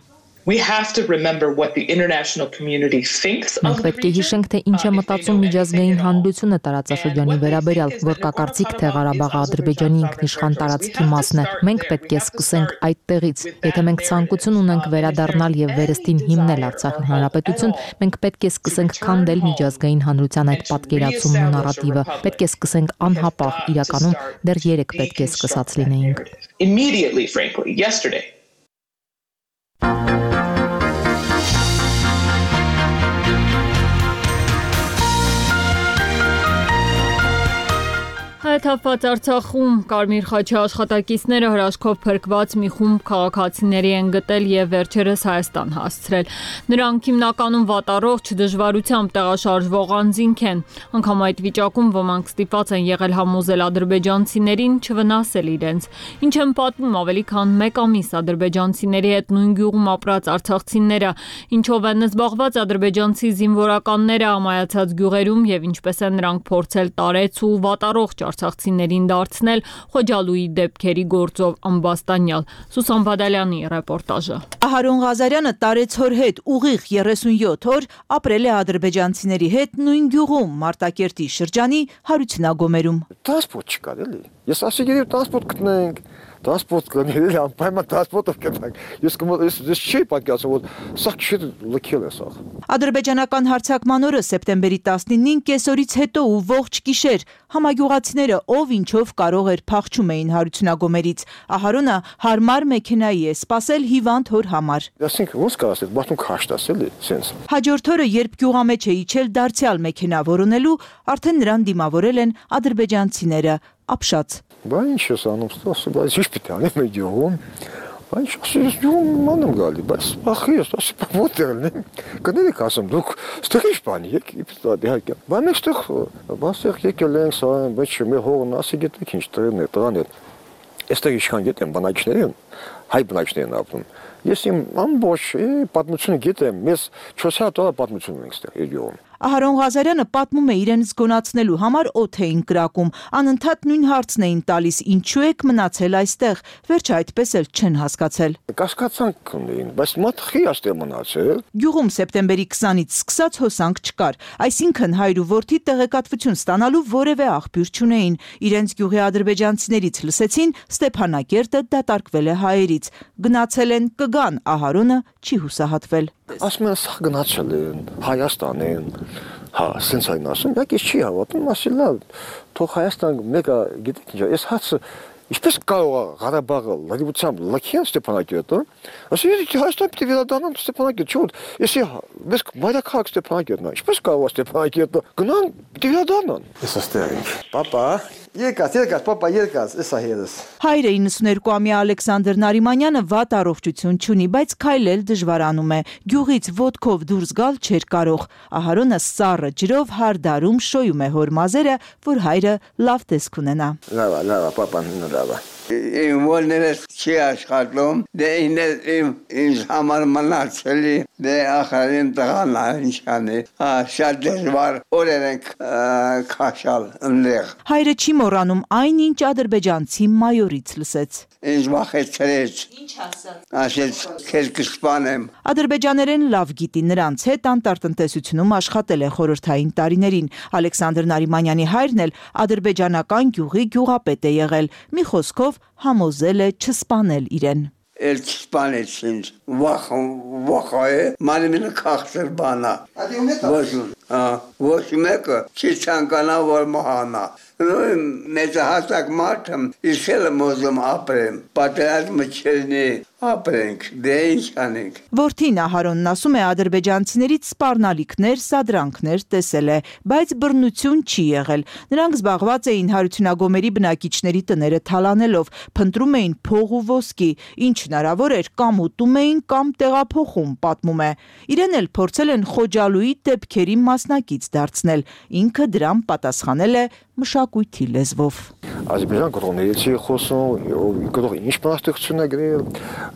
We have to remember what the international community thinks of Մենք պետք է հիշենք, թե ինչ է մտածում միջազգային հանրությունը տարածաշրջանի վերաբերյալ, որ կա կարծիք, թե Ղարաբաղը Ադրբեջանի ինքնիշխան տարածքի մասն է։ Մենք պետք է սկսենք այդտեղից։ Եթե մենք ցանկություն ունենք վերադառնալ եւ վերստին հիմնել Արցախի հանրապետություն, մենք պետք է սկսենք քանդել միջազգային հանրության այդ պատկերացումն ու նարատիվը։ Պետք է սկսենք անհապաղ, իրականում դեռ երեք պետք է սկսած լինեինք։ Immediately, frankly, yesterday. Հայթափված Արցախում Կարմիր խաչի աշխատակիցները հրաշքով փրկված մի խումբ քաղաքացիների են գտել եւ վերջերս Հայաստան հասցրել։ Նրանք հիմնականում վատառողջ դժվարությամբ տեղաշարժվող անձինք են։ Անկամ այդ վիճակում ոմանք ստիպված են եղել համոզել ադրբեջանցիներին չվնասել իրենց։ Ինչ են պատմում ավելի քան մեկ ամիս ադրբեջանցիների հետ նույն գյուղում ապրած արցախցիները, ինչով են զբաղված ադրբեջանցի զինվորականները ամայացած գյուղերում եւ ինչպես են նրանք փորձել տարեց ու վատառողջ արցախցիներին դարձնել Խոջալույի դեպքերի գործով ամբաստանյալ։ Սուսան Բադալյանի ռեպորտաժը։ Ահարոն Ղազարյանը տարեցօր հետ ուղիղ երեսունյոթ օր ապրել է ադրբեջանցիների հետ նույն գյուղում Մարտակերտի շրջանի Հարությունագոմերում։ Տրանսպորտ չկար էլի։ Ես ասեցի գիտեմ տրանսպորտ գտնենք։ Տրանսպորտ կներել անպայման տրանսպորտով կտանք։ Ես ես ես չի պատկերացնում, որ սա չի լքել է սա։ Ադրբեջանական հարձակման օրը սեպտեմբերի տասնինին կեսօրից հետո ու ողջ գիշեր համագյուղացիները ով ինչով կարող էր փախչում էին Հարությունագոմերից։ Ահարոնը հարմար մեքենայի է սպասել հիվանդ հոր համար։ Ասենք ոնց կարասել, բախտում քաշտաս էլի, սենց։ Հաջորդ օրը երբ գյուղամեջ է իջել դարձյալ մեքենա որոնելու, արդեն նրան դիմավորել են ադրբեջանցիները, ապշած։ Բա ինչ ես անում, ստասը, բայց ինչ պիտի անեմ այդ գյուղում։ Բայց ես գյուղում անում գալի, բայց ախի ես ասի ո՞տեղ եմ։ Կներեք ասեմ, դուք ստեղ ինչ բանի եք, իպտա դիհակը։ Բա մենք ստեղ բասեղ եկել ենք, սա բայց մի հողն ասի գիտեք ինչ տրեն է, տղան է։ Այստեղ իշխան գիտեմ բնակիչների են, հայ բնակիչներն ապրում։ Ես իմ ամբողջ պատմությունը գիտեմ, մեզ չորս հատ օր պատմություն ունենք ստեղ գյուղում։ Ահարոն Ղազարյանը պատմում է իրեն զգոնացնելու համար օդ էին կրակում, անընդհատ նույն հարցն էին տալիս, ինչու եք մնացել այստեղ, վերջը այդպես էլ չեն հասկացել։ Կասկածանք ունեին, բայց մատխի աստեղ մնացել։ Գյուղում սեպտեմբերի քսանից սկսած հոսանք չկար, այսինքն հայր ու որդի տեղեկատվություն ստանալու որևէ աղբյուր չունեին։ Իրենց գյուղի ադրբեջանցիներից լսեցին Ստեփանակերտը դատարկվել է հայերից, գնացել են կգան, Ահարոնը չի հուսահատվել։ Ասում են սա գնացել են, Հայաստան են, հա, սենց այն ասում, յակ ես չի հավատում, ասի լավ, թող Հայաստան մեկը գիտեք ինչ, ես հացը, ինչպես կարող է Ղարաբաղը լրիվությամբ լքեն Ստեփանակերտը, ասի Հայաստան պիտի վերադառնան Ստեփանակերտ, չէ՞ ես ես մայրաքաղաք Ստեփանակերտն է, ինչպես կարող է Ստեփանակերտը գնան, պիտի վերադառնան։ Ես աստեղ ենք։ Պապա, եկած, եկած, պապա, եկած, էսա հերս։ Հայրը իննսուներկուամյա Ալեքսանդր Նարիմանյանը վատ առողջություն չունի, բայց քայլել դժվարանում է։ Գյուղից ոտքով դուրս գալ չէր կարող։ Ահարոնը սառը ջրով հարդարում շոյում է հոր մազերը, որ հայրը լավ տեսք ունենա։ Լավ, լավ, պապան լավ։ Իմ ոլներս չի աշխատում, դե իմ ինձ համար մնացելի, դե ախարին տղան ինչանի, շատ դժվար օրեր ենք քաշալ ընդեղ։ Հայրը չի մոռանում այն, ինչ ադրբեջանցի մայորից լսեց։ Ինձ վախեցրեց։ Ինչ ասա։ Ասեց քեզ կսպանեմ։ Ադրբեջաներեն լավ գիտի, նրանց հետ անտարտնտեսությունում աշխատել է խորհրդային տարիներին։ Ալեքսանդր Նարիմանյանի հայրն էլ ադրբեջանական գյուղի գյուղապետ է եղել։ Մի խոսքով համոզել է չսպանել իրեն։ էլ չսպանեցին վախ վախ է մանիմինը քաղցր բանա ոչ ոչ մեկը չի ցանկանա որ մահանա մեծահասակ մարդը իսել մոզում ապրեմ պատերազմը չլինի ապրենք դե ինչ անենք Որդին Ահարոնն ասում է ադրբեջանցիներից սպառնալիքներ, սադրանքներ տեսել է, բայց բռնություն չի եղել։ Նրանք զբաղված էին հարությունագոմերի բնակիչների տները թալանելով, փնտրում էին փող ու ոսկի, ինչ հնարավոր էր կամ ուտում էին կամ տեղափոխում, պատմում է։ Իրեն էլ փորձել են Խոջալուի դեպքերի մասնակից դարձնել։ Ինքը դրան պատասխանել է մշակույթի լեզվով։ Ադրբեջան կողմերից չի խոսում, գտող ինչ բանաստեղծություն է գրել,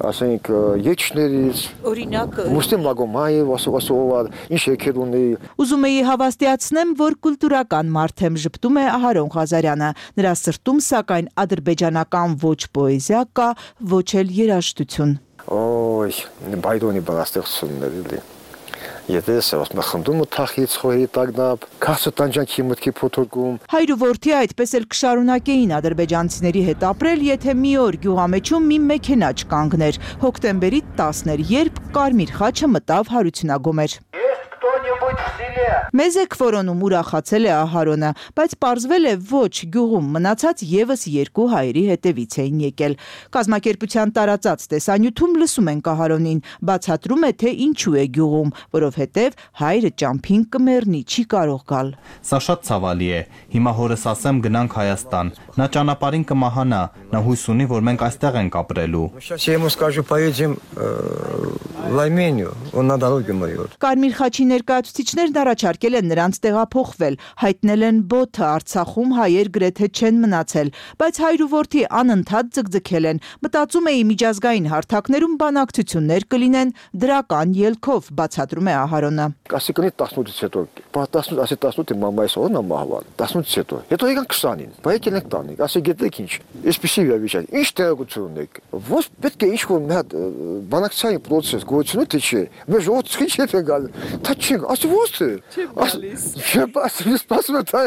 ասենք եչներից, օրինակ Մուստեմ Մագոմաև, ասովասովար, ինչ եկել ունի։ Ուզում էի հավաստիացնեմ, որ կուլտուրական մարդ եմ, ժպտում է Ահարոն Ղազարյանը։ Նրա սրտում սակայն ադրբեջանական ոչ պոեզիա կա, ոչ էլ երաժշտություն։ Օй, բայդոնի բանաստեղծություններ էլի։ Եթե ասում խնդում ու թախից խոհի տագնապ, քասը տանջանքի մտքի փոթորկում։ Հայր ու որդի այդպես էլ կշարունակեին ադրբեջանցիների հետ ապրել, եթե մի օր գյուղամեջում մի մեքենա չկանգներ։ Հոկտեմբերի տասն էր, երբ Կարմիր խաչը մտավ հարությունագոմեր։ Մեզ եք որոնում ուրախացել է Ահարոնը, բայց պարզվել է ոչ գյուղում մնացած եւս երկու հայերի հետևից էին եկել։ Կազմակերպության տարածած տեսանյութում լսում ենք Ահարոնին, բացատրում է թե ինչու է գյուղում, որովհետեւ հայրը ճամփին կմեռնի, չի կարող գալ։ Սա շատ ցավալի է։ Հիմա հորս ասեմ գնանք Հայաստան։ Նա ճանապարհին կմահանա, նա հույս ունի, որ մենք այստեղ ենք ապրելու։ Կարմիր խաչի ներկայացուցիչներն առաջարկել են նրանց տեղափոխվել, հայտնել են բոթը Արցախում հայեր գրեթե չեն մնացել, բայց հայր ու որդի անընդհատ ձգձգել են, մտածում էի միջազգային հարթակներում բանակցություններ կլինեն դրական ելքով, բացատրում է Ահարոնը։ Ասի կնի տասնութից հետո, ասի տասնութի մամայիս օրն ամահավան, տասնութից հետո, հետո եկան քսանին, բայ եկել ենք տանիք, ասի գետեք ինչ, այսպիսի վիճակ, ինչ տեղեկություն ունեք, ո՞ս պետք է ինչ-որ մի հատ բանակցային պրոցես գոյություն թե չէ, մեր ժողովուրդը ինչ հետ է գալ, դա չի, ասի ո՞ս է։ Չէ, ասի սպասում է դա,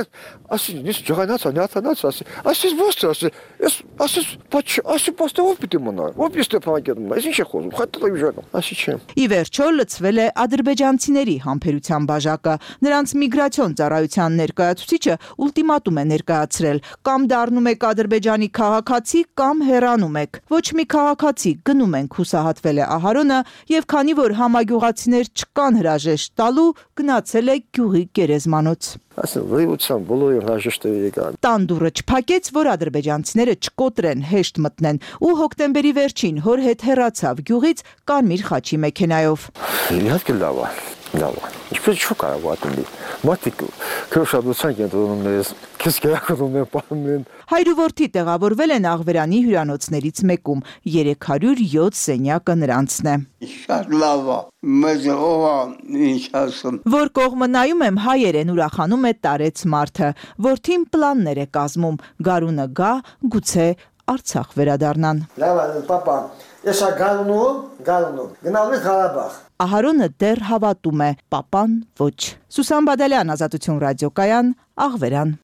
ասի նիս ջղայնացա, նյաթանացա, ասի, ասի ո՞ս է, ասի, ես ասի, բայց ասի պաստե ով պիտի մնա, ով պիտի Ստեփանակերտում, այս ինչ է խոսում, խաթտի վիճակը, ասի չէ։ Ի վերջո լցվել է ադրբեջանցիների համբերության բաժակը, նրանց միգրացիոն ծառայության ներկայացուցիչը ուլտիմատում է ներկայացրել, կամ դառնում եք Ադրբեջանի քաղաքացի, կամ հեռանում եք։ Ոչ մի քաղաքացի գնում ենք, հուսահատվել է Ահարոնը, եւ քանի որ համագյուղացիներ չկան հրաժեշտ տալու, գնացել է գյուղի գերեզմանոց։ Ասեն վայության բոլորը հրաժեշտը եկան։ Տան դուռը չփակեց, որ ադրբեջանցիները չկոտրեն, հեշտ մտնեն, ու հոկտեմբերի վերջին հոր հետ հեռացավ գյուղից Կարմիր խաչի մեքենայով։ Իհարկե լավ է, լավ է։ Ինչպես չի կարող ատոմի։ Մատիկ քրոշադության կենտրոնում քիչ գերակոնում են պահում։ Հայր ու որդի տեղավորվել են Աղվերանի հյուրանոցներից մեկում, երեք հարյուր յոթ սենյակը նրանցն է։ Շատ լավ է, մեզ ով ինչ ասում։ Որ կողմը նայում եմ, հայերեն ուրախանում է տարեց մարդը, որդին պլաններ է կազմում, գարունը գա, գուցե Արցախ վերադառնան։ Լավ է, պապա, ես գալու, գալու, գնալու Ղարաբաղ։ Ահարոնը դեռ հավատում է, պապան ոչ։ Սուսան Բադալյան, Ազատություն ռադիոկայան, Աղվերան։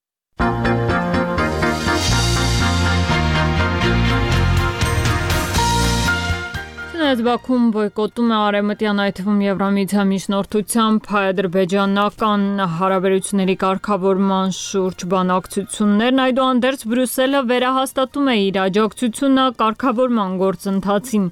Բաքում բոյկոտում է արևմտյան այդ թվում Եվրամիության միջնորդությամբ հայ-ադրբեջանական հարաբերությունների կարգավորման շուրջ բանակցություններն, այդուհանդերձ Բրյուսելը վերահաստատում է իր աջակցությունը կարգավորման գործընթացին։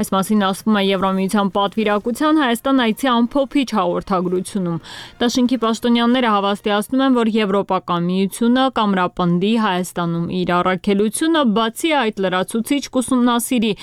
Այս մասին ասվում է Եվրամիության պատվիրակության Հայաստան այցի ամփոփիչ հաղորդագրությունում։ Դաշինքի պաշտոնյաները հավաստիացնում են, որ Եվրոպական միությունը կամրապնդի Հայաստանում իր առաքելությունը, բացի այդ լրացուցիչ կուսումնասիրի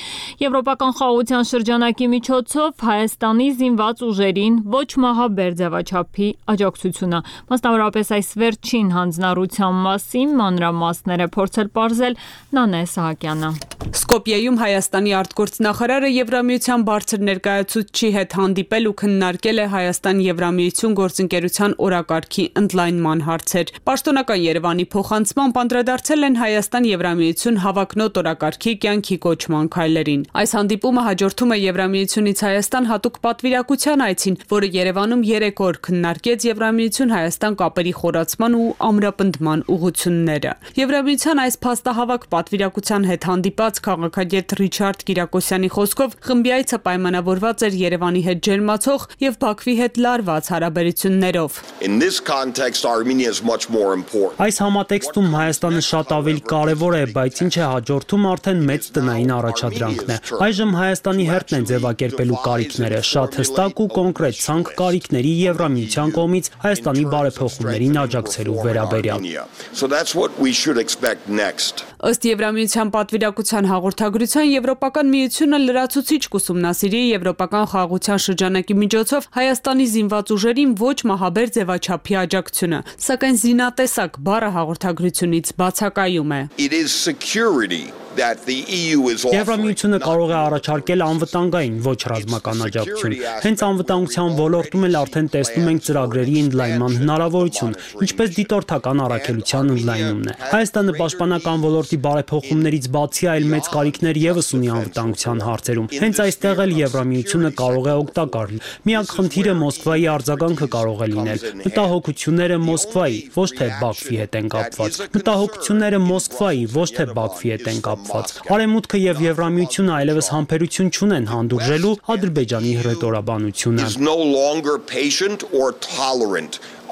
Եվրոպական խաղաղության շրջանակի միջոցով Հայաստանի զինված ուժերին ոչ մահաբեր ձևաչափի աջակցությունը։ Մասնավորապես այս վերջին հանձնառության մասին մանրամասները փորձել պարզել Նանե Սահակյանը։ Սկոպիեում Հայաստանի արտգործնախարարը Եվրամիության բարձր ներկայացուցչի հետ հանդիպել ու քննարկել է Հայաստան-Եվրամիություն գործընկերության օրակարգի ընդլայնման հարցեր։ Պաշտոնական Երևանի փոխանցմամբ անդրադարձել են Հայաստան-Եվրամիություն հավակնոտ օրակարգի կյանքի կոչման քայլերին։ Այս հանդիպումը հաջորդել հաջորդում է Եվրամիությունից Հայաստան հատուկ պատվիրակության այցին, որը Երևանում երեք օր քննարկեց Եվրամիություն-Հայաստան կապերի խորացման ու ամրապնդման ուղղությունները։ Եվրամիության այս փաստահավաք պատվիրակության հետ հանդիպած քաղաքագետ Ռիչարդ Կիրակոսյանի խոսքով խմբի այցը պայմանավորված էր Երևանի հետ ջերմացող եւ Բաքվի հետ լարված հարաբերություններով։ Այս համատեքստում Հայաստանը շատ ավելի կարևոր է, բայց ինչ է հաջորդում արդեն մեծ տնային առաջադրանքն է։ Այժմ Հայաստանի հերթն է ձևակերպելու կարիքները, շատ հստակ ու կոնկրետ ցանկ կարիքների Եվրամիության կողմից Հայաստանի բարեփոխումներին աջակցելու վերաբերյալ։ Ըստ Եվրամիության պատվիրակության հաղորդագրության Եվրոպական միությունը լրացուցիչ կուսումնասիրի եվրոպական խաղաղության շրջանակի միջոցով Հայաստանի զինված ուժերին ոչ մահաբեր ձևաչափի աջակցությունը, սակայն զինատեսակ բառը հաղորդագրությունից բացակայում է։ Եվրամիությունը կարող է առաջարկել անվտանգային, ոչ ռազմական աջակցություն։ Հենց անվտանգության ոլորտում էլ արդեն տեսնում ենք ծրագրերի ընդլայնման հնարավորություն, ինչպես դիտորդական առաքելության ընդլայնումն է։ Հայաստանը պաշտպանական ոլորտի բարեփոխումներից բացի այլ մեծ կարիքներ եւս ունի անվտանգության հարցերում։ Հենց այստեղ էլ Եվրամիությունը կարող է օգտակար լինել։ Միակ խնդիրը Մոսկվայի արձագանքը կարող է լինել։ Մտահոգությունները Մոսկվայի, ոչ թե Բաքվի հետ են կապված։ Մտահոգությունները Մոսկվայի, ոչ թե Բաքվի հետ են կապված։ Արևմուտքը եւ Եվրամիությունը այլևս համբերություն չունեն հանդուրժելու Ադրբեջանի հռետորաբանությունը։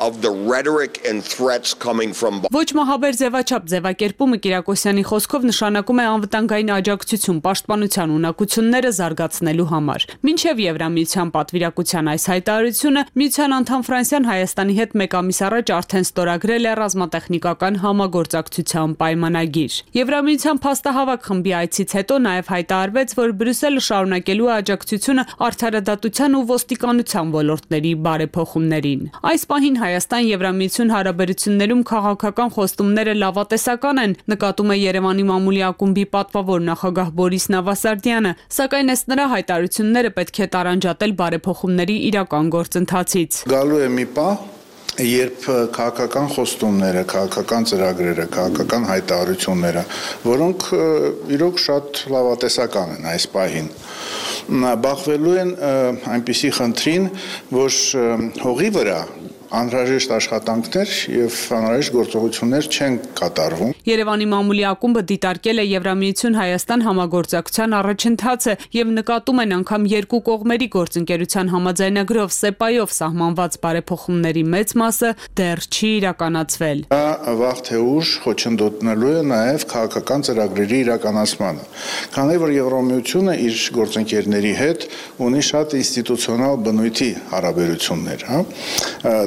Of the rhetoric and threats coming from Ոչ մահաբեր ձևաչափ ձևակերպումը Կիրակոսյանի խոսքով նշանակում է անվտանգային աջակցություն պաշտպանության ունակությունները զարգացնելու համար։ Մինչև Եվրամիության պատվիրակության այս հայտարարությունը միության անդամ Ֆրանսիան Հայաստանի հետ մեկ ամիս առաջ արդեն ստորագրել է ռազմատեխնիկական համագործակցության պայմանագիր։ Եվրամիության փաստահավաք խմբի այցից հետո նաև հայտարարվեց, որ Բրյուսելը շարունակելու է աջակցությունը արդարադատության ու ոստիկանության ոլորտների բարեփոխումներին։ Այս պահին Հայաստան-Եվրամիություն հարաբերություններում քաղաքական խոստումները լավատեսական են, նկատում է Երևանի մամուլի ակումբի պատվավոր նախագահ Բորիս Նավասարդյանը, սակայն ըստ նրա հայտարարությունները պետք է տարանջատել բարեփոխումների իրական գործընթացից։ Գալու է մի պահ, երբ քաղաքական խոստումները, քաղաքական ծրագրերը, քաղաքական հայտարարությունները, որոնք իրոք շատ լավատեսական են այս պահին, բախվելու են այնպիսի խնդրին, որ հողի վրա անհրաժեշտ աշխատանքներ եւ անհրաժեշտ գործողություններ չեն կատարվում։ Երևանի մամուլի ակումբը դիտարկել է Եվրամիություն-Հայաստան համագործակցության առաջընթացը եւ նկատում են անգամ երկու կողմերի գործընկերության համաձայնագրով սեպայով սահմանված բարեփոխումների մեծ մասը դեռ չի իրականացվել։ Դա վաղ թե ուշ խոչընդոտնելու է նաեւ քաղաքական ծրագրերի իրականացմանը։ Քանի որ Եվրամիությունը իր գործընկերների հետ ունի շատ ինստիտուցիոնալ բնույթի հարաբերություններ, հա։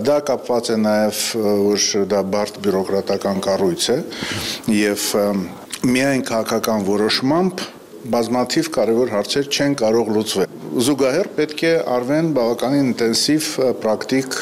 Դա կապված է նաև, որ դա բարդ բյուրոկրատական կառույց է եւ միայն քաղաքական որոշմամբ բազմաթիվ կարևոր հարցեր չեն կարող լուծվել։ Զուգահեռ պետք է արվեն բավականին ինտենսիվ պրակտիկ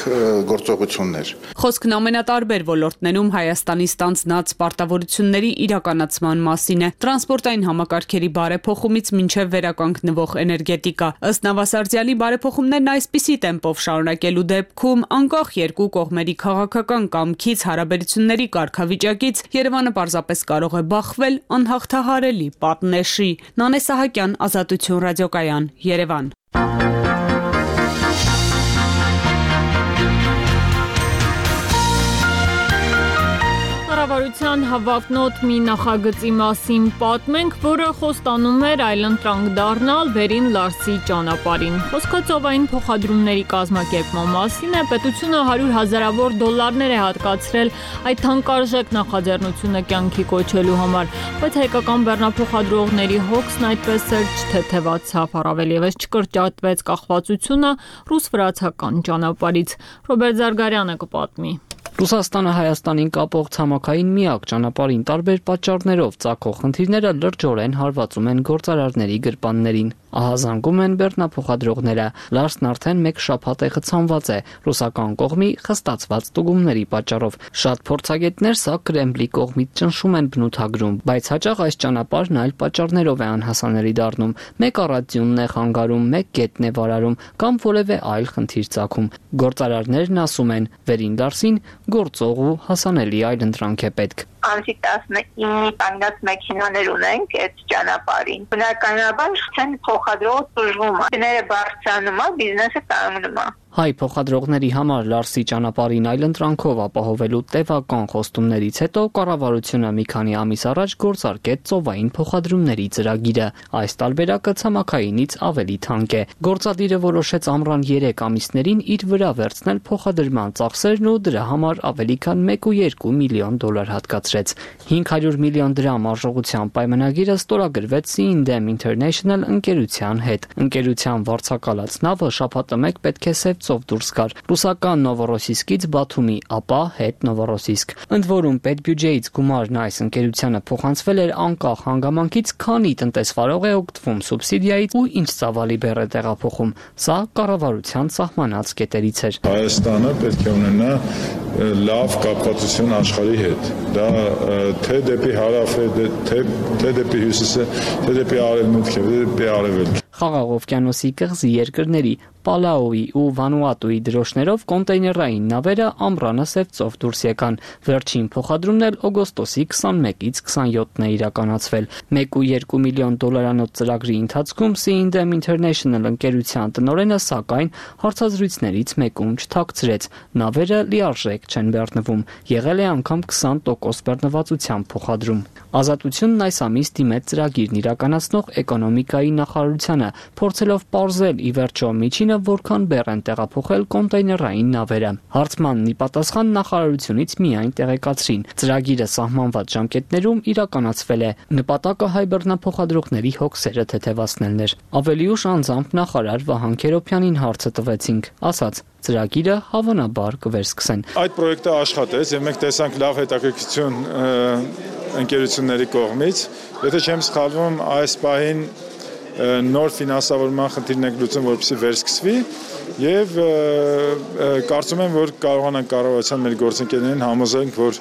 գործողություններ։ Խոսքն ամենատարբեր ոլորտներում Հայաստանի ստանձնած պարտավորությունների իրականացման մասին է՝ տրանսպորտային համակարգերի բարեփոխումից մինչև վերականգնվող էներգետիկա։ Ըստ Նավասարդյանի բարեփոխումներն այսպիսի տեմպով շարունակելու դեպքում անկախ երկու կողմերի քաղաքական կամքից հարաբերությունների կարգավիճակից Երևանը պարզապես կարող է բախվել անհաղթահարելի պատնեշի։ Նանե Սահակյան, Ազատություն ռադիոկայան, Երևան։ Կառավարության հավակնոտ մի նախագծի մասին պատմենք, որը խոստանում էր այլընտրանք դառնալ Բերին Լարսի ճանապարհին։ Խոսքը ծովային փոխադրումների կազմակերպման մասին է, պետությունը հարյուր հազարավոր դոլարներ է հատկացրել այդ թանկարժեք նախաձեռնությունը կյանքի կոչելու համար, բայց հայկական բեռնափոխադրողների հոգսն այդպես էլ չթեթևացավ, առավել ևս չկրճատվեց կախվածությունը ռուս-վրացական ճանապարհից։ Ռոբերտ Զարգարյանը կպատմի։ Ռուսաստանը Հայաստանին կապող ցամաքային միակ ճանապարհին տարբեր պատճառներով ծագող խնդիրները լրջորեն հարվածում են գործարարների գրպաններին։ Ահազանգում են բեռնափոխադրողները։ Լարսն արդեն մեկ շաբաթ է խցանված է ռուսական կողմի խստացված ստուգումների պատճառով։ Շատ փորձագետներ սա Կրեմլի կողմից ճնշում են բնութագրում, բայց հաճախ այս ճանապարհն այլ պատճառներով է անհասանելի դառնում։ Մեկ առածյունն է խանգարում, մեկ գետն է վարարում կամ որևէ այլ խնդիր ծագում։ Գործարարներն ասում են, Վերին Լարսին գործող ու հասանելի այլընտրանք է պետք։ Անցի տասնինը կանգնած մեքենաներ ունենք այդ ճանապարհին։ Բնականաբար ցեն փոխադրող դժվում է։ Գները բարձրանում է, բիզնեսը կանգնում է։ Հայ փոխադրողների համար Լարսի ճանապարհին այլընտրանքով ապահովելու տևական խոստումներից հետո կառավարությունը մի քանի ամիս առաջ գործարկեց ծովային փոխադրումների ծրագիրը։ Այս տարբերակը ցամաքայինից ավելի թանկ է։ Գործադիրը որոշեց ամռան երեք ամիսներին իր վրա վերցնել փոխադրման ծախսերն ու դրա համար ավելի քան մեկ կόμμα երկու միլիոն դոլար հատկացրեց։ հինգ հարյուր միլիոն դրամ արժողության պայմանագիրը ստորագրվեց Sea and Dam International ընկերության հետ։ Ընկերության վարձակալած նավը շաբաթը մեկ պետք է Սև ծով դուրս գար ռուսական Նովորոսիսկից Բաթումի, ապա հետ Նովորոսիսկ։ Ընդ որում պետբյուջեից գումարն այս ընկերությանը փոխանցվել էր անկախ հանգամանքից, քանի տնտեսվարող է օգտվում սուբսիդիայից ու ինչ ծավալի բեռ է տեղափոխում։ Սա կառավարության սահմանած կետերից էր։ Հայաստանը պետք է ունենա լավ կապվածություն աշխարհի հետ։ Դա թե դեպի հարավ է, թե թե դեպի հյուսիս է, թե դեպի արևմուտք է, թե դեպի արևելք։ Խաղաղ օվկիանոսի կղզի երկրների Պալաուի ու Վանուատուի դրոշներով կոնտեյներային նավերը ամռանը Սև ծով դուրս եկան։ Վերջին փոխադրումն էլ օգոստոսի քսանմեկից քսանյոթն է իրականացվել։ մեկ կόμμα երկու միլիոն դոլարանոց ծրագրի ընթացքում Sea and Dam International ընկերության տնօրենը սակայն հարցազրույցներից մեկում չթաքցրեց։ Նավերը լիարժեք չեն բեռնվում։ Եղել է անգամ քսան տոկոս բեռնվածությամբ փոխադրում։ Ազատությունն այս ամիս դիմեց ծրագիրն իրականացնող էկոնոմիկայի նախարարությանը, փորձելով պարզել ի վերջո միջինը որքան բեռ են տեղափոխել կոնտեյներային նավերը։ Հարցմանն ի պատասխան նախարարությունից միայն տեղեկացրին։ Ծրագիրը սահմանված ժամկետներում իրականացվել է։ Նպատակը հայ բեռնափոխադրողների հոգսերը թեթևացնելն էր։ Ավելի ուշ անձամբ նախարար Վահան Քերոբյանին հարցը տվեցինք, ասաց. Ծրագիրը հավանաբար կվերսկսեն։ Այդ պրոյեկտը աշխատեց եւ մենք տեսանք լավ հետաքրքրություն ընկերությունների կողմից։ Եթե չեմ սխալվում, այս պահին նոր ֆինանսավորման խնդիրն է լուծում, որպեսզի վերսկսվի եւ կարծում եմ, որ կարողանանք կառավարության մեր գործընկերներին համոզենք, որ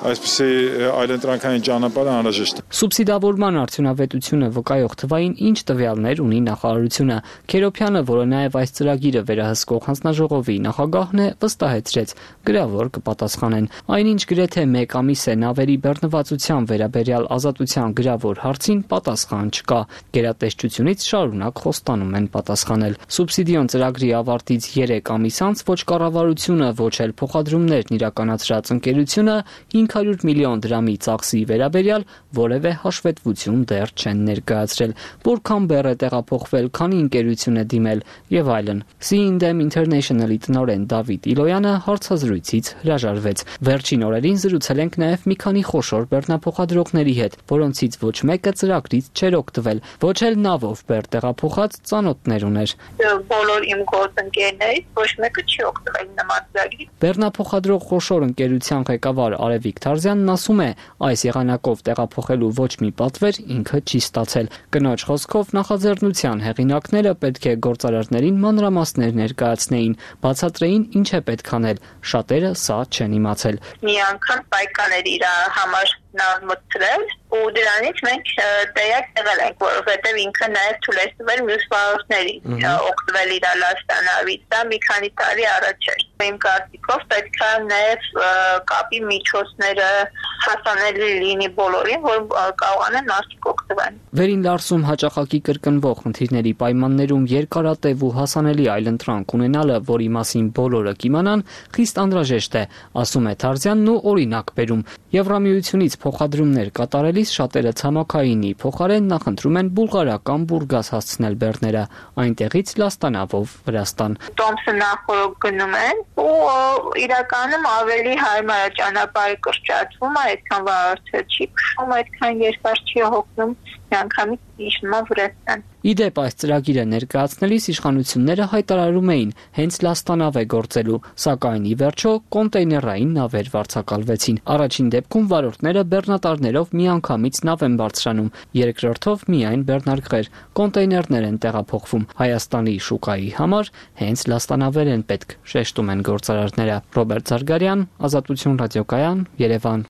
այսպիսի այլընտրանքային ճանապարհը անհրաժեշտ է։ Սուբսիդավորման արդյունավետությունը վկայող թվային ինչ տվյալներ ունի նախարարությունը։ Քերոբյանը, որը նաև այս ծրագիրը վերահսկող հանձնաժողովի նախագահն է, վստահեցրեց, գրավոր կպատասխանեն։ Այնինչ գրեթե մեկ ամիս է նավերի բեռնվածության վերաբերյալ ազատության գրավոր հարցին պատասխան չկա։ Գերատեսչությունից շարունակ խոստանում են պատասխանել։ Սուբսիդիոն ծրագրի ավարտից երեք ամիս անց ոչ կառավարությունը, ոչ էլ փոխադրումներն իրականացրած ընկերությունը հինգ հարյուր միլիոն դրամի ծախսի վերաբերյալ որևէ հաշվետվություն դեռ չեն ներկայացրել, որքան բեռ է տեղափոխվել, քանի ընկերություն է դիմել եւ այլն։ Sea and Dam International-ի տնօրեն Դավիթ Իլոյանը հարցազրույցից հրաժարվեց։ Վերջին օրերին զրուցել ենք նաեւ մի քանի խոշոր բեռնափոխադրողների հետ, որոնցից ոչ մեկը ծրագրից չէր օգտվել, ոչ էլ նավով բեռ տեղափոխած ծանոթներ ուներ։ Բոլոր իմ գործընկերներից ոչ մեկը չի օգտվել նման ծրագրից։ Բեռնափոխադրող խոշոր ընկերության ղեկավար Արևիկ Թարզյանն ասում է, այս եղանակով տեղափոխելու ոչ մի պատվեր ինքը չի ստացել։ Կնոջ խոսքով նախաձեռնության հեղինակները պետք է գործարարներին մանրամասներ ներկայացնեին, բացատրեին ինչ է պետք անել։ Շատերը սա չեն իմացել։ Մի անգամ պայքան էր իր համար նավ մտցրել ու դրանից մենք տեղյակ եղել ենք, որովհետև ինքը նաև թույլ է տվել մյուս վարորդներին օգտվել իր լաստանավից։ Դա մի քանի տարի առաջ էր։ Իմ կարծիքով պետք է նաև կապի միջոցները հասանելի լինի բոլորին, որ կարողանան մարդիկ օգտվեն։ Վերին Լարսում հաճախակի կրկնվող խնդիրների պայմաններում երկարատև ու հասանելի այլընտրանք ունենալը, որի մասին բոլորը կիմանան, խիստ անհրաժեշտ է, ասում է Թարզյանն ու օրինակ բերում։ Եվրամիությունից փոխադրումներ կատարելիս շատերը ցամաքայինի փոխարեն նախընտրում են բուլղարական Բուրգաս հասցնել բեռները, այնտեղից լաստանավով Վրաստան։ Տոմսը նախորդ գնում են ու իրականում ավելի հարմար է ճանապարհը կրճատվում, այդքան վարորդը չի քշում, այդքան երկար չի հոգնում, միանգամից իջնում է Վրաստան։ Իդեպ այս ծրագիրը ներկայացնելիս իշխանությունները հայտարարում էին հենց լաստանավ է գործելու, սակայն ի վերջո կոնտեյներային նավեր վարձակալվեցին։ Առաջին դեպքում վարորդները բեռնատարներով միանգամից նավ են բարձրանում, երկրորդով միայն բեռնարկղեր, կոնտեյներներ են տեղափոխվում։ Հայաստանի շուկայի համար հենց լաստանավեր են պետք, շեշտում են գործարարները։ Ռոբերտ Զարգարյան, Ազատություն ռադիոկայան, Երևան։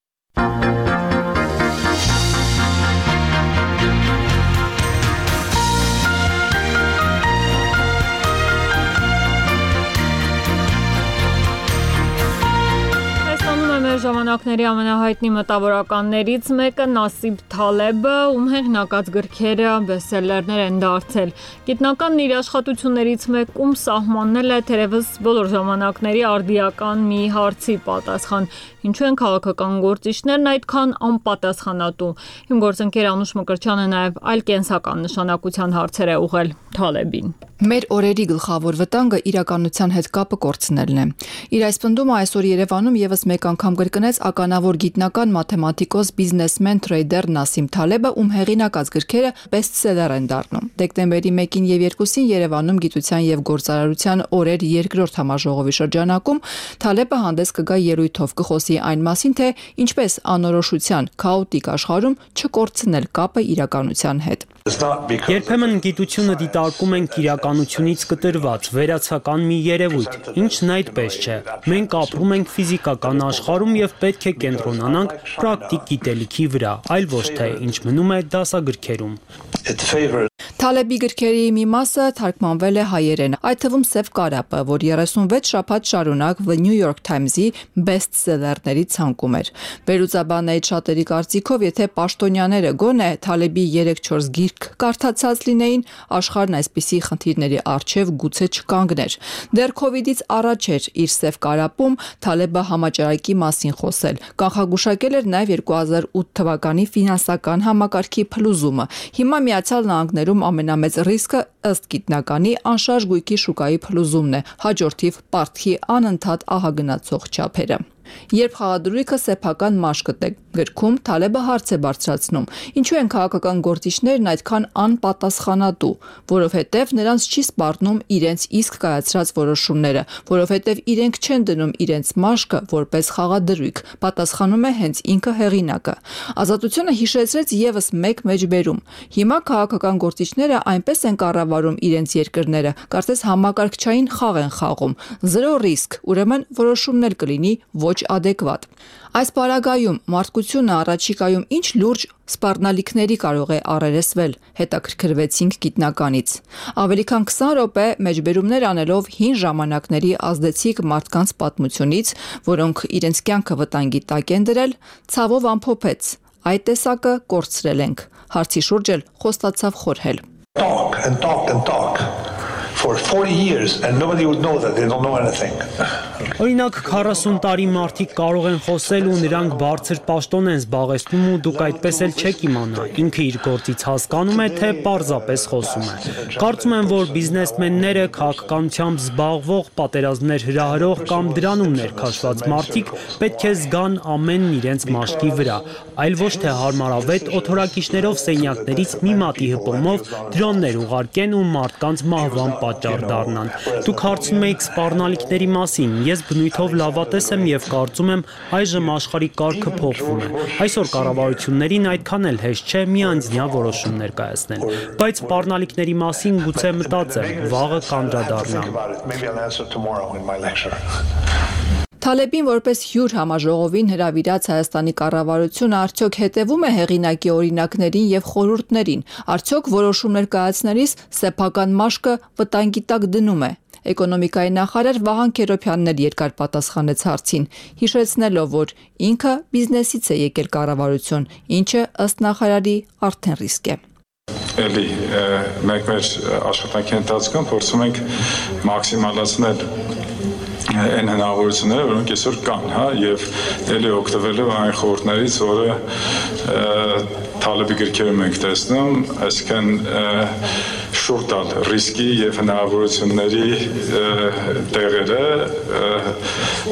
ժամանակների ամենահայտնի մտավորականներից մեկը Նասիբ Թալեբը, ում հեղինակած գրքերը բեսթսելերներ են դարձել։ Գիտնականն իր աշխատություններից մեկում սահմանել է թերևս բոլոր ժամանակների արդիական մի հարցի պատասխան. ինչու են քաղաքական գործիչներն այդքան անպատասխանատու։ Իմ գործընկեր Անուշ Մկրտչյանը նաև այլ կենսական նշանակության հարցեր է ուղղել Թալեբին։ Մեր օրերի գլխավոր վտանգը իրականության հետ կապը կորցնելն է։ Իր այս պնդումը այսօր Երևանում եւս մեկ անգամ կրկնեց ականավոր գիտնական, մաթեմատիկոս, բիզնեսմեն, թրեյդեր Նասիմ Թալեբը, ում հեղինակած գրքերը բեսթսելեր են դառնում։ Դեկտեմբերի մեկին եւ երկուսին Երևանում Գիտության եւ գործարարության օրեր երկրորդ համաժողովի շրջանակում Թալեբը հանդես կգա ելույթով, կխոսի այն մասին, թե ինչպես անորոշության քաոտիկ աշխարհում չկորցնել կապը իրականության հետ։ Երբեմն գիտությունը դիտարկում ենք իրականությունից կտրված, վերացական մի երևույթ, ինչն այդպես չէ։ Մենք ապրում ենք ֆիզիկական աշխարհում եւ պետք է կենտրոնանանք պրակտիկ գիտելիքի վրա, այլ ոչ թե ինչ մնում է դասագրքերում։ Թալեբի գրքերի մի մասը թարգմանվել է հայերեն, այդ թվում Սև կարապը, որ երեսունվեց շաբաթ շարունակ The New York Times-ի բեսթսելերների ցանկում էր։ Վերլուծաբաններից շատերի կարծիքով, եթե պաշտոնյաները գոնե Թալեբի երեք-չորս գիրք կարդացած լինեին, աշխարհն այսպիսի խնդիրների առջև գուցե չկանգներ։ Դեռ քովիդից առաջ էր իր Սև կարապում Թալեբը համաճարակի մասին խոսել։ Կանխագուշակել էր նաև երկու հազար ութ թվականի ֆինանսական համակարգի փլուզումը։ Հիմա Միացյալ Նահանգներում ամենամեծ ռիսկը ըստ գիտնականի անշարժ գույքի շուկայի փլուզումն է, հաջորդիվ պարտքի անընդհատ ահագնացող չափերը։ Երբ խաղադրույքը սեփական մաշկտ է գրքում, Թալեբը հարց է բարձրացնում. ինչու են քաղաքական գործիչներն այդքան անպատասխանատու, որովհետև նրանց չի սպառնում իրենց իսկ կայացրած որոշումները, որովհետև իրենք չեն դնում իրենց մաշկը որպես խաղադրույք, պատասխանում է հենց ինքը հեղինակը։ Ազատությունը հիշեցրեց եւս մեկ մեջբերում։ Հիմա քաղաքական գործիչները այնպես են կառավարում իրենց երկրները, կարծես համակարգչային խաղ են խաղում, զրո ռիսկ, ուրեմն որոշումն էլ կլինի ոչ adekvat։ Այս պարագայում մարդկությունը առաջիկայում ինչ լուրջ սպառնալիքների կարող է առերեսվել, հետաքրքրվեցինք գիտնականից։ Ավելի քան քսան րոպե մեջբերումներ անելով հին ժամանակների ազդեցիկ մարդկանց պատմությունից, որոնք իրենց կյանքը վտանգի տակ են դրել, ցավով ամփոփեց. այդ տեսակը կորցրել ենք։ Հարցի շուրջ էլ խոստացավ խորհել։ Talk and talk and talk for forty years and nobody would know that they don't know anything. Օրինակ քառասուն տարի մարդիկ կարող են խոսել ու նրանք բարձր պաշտոն են զբաղեցնում ու դուք այդպես էլ չեք իմանա։ Ինքը իր գործից հասկանում է, թե պարզապես խոսում է։ Կարծում եմ, որ բիզնեսմենները, քաղաքականությամբ զբաղվող, պատերազմներ հրահրող կամ դրանում ներքաշված մարդիկ պետք է զգան ամենն իրենց մաշկի վրա, այլ ոչ թե հարմարավետ օթորակիչներով սենյակներից մի մատի հպոմով դրոններ ուղարկեն ու մարդկանց մահվան պատճառ դառնան։ Դուք հարցնում եք սպառնալիքների մասին, ես բնույթով լավատես եմ եւ կարծում եմ այժմ աշխարհի կարգը փոխվում է։ Այսօր կառավարություններին այդքան էլ հեշտ չէ միանձնյա որոշումներ կայացնել, բայց սպառնալիքների մասին գուցե մտածեմ, վաղը կանդրադառնամ։ Թալեբին որպես հյուր համաժողովին հրավիրած Հայաստանի կառավարությունը արդյոք հետևում է հեղինակի օրինակներին եւ խորհուրդներին, արդյոք որոշումներ կայացնելիս սեփական մաշկը վտանգի տակ դնում է։ Էկոնոմիկայի նախարար Վահան Քերոբյանն էլ երկար պատասխանեց հարցին, հիշեցնելով, որ ինքը բիզնեսից է եկել կառավարություն, ինչը ըստ նախարարի արդեն ռիսկ է։ Էլի մենք մեր աշխատանքի ընթացքում փորձում ենք մաքսիմալացնել այն հնարավորությունները, որոնք այսօր կան, հա, եւ ելի օգտվելով այն խորհուրդներից, որը Թալեբի գրքերում ենք տեսնում, այսինքն շուտ տալ ռիսկի եւ հնարավորությունների տեղերը,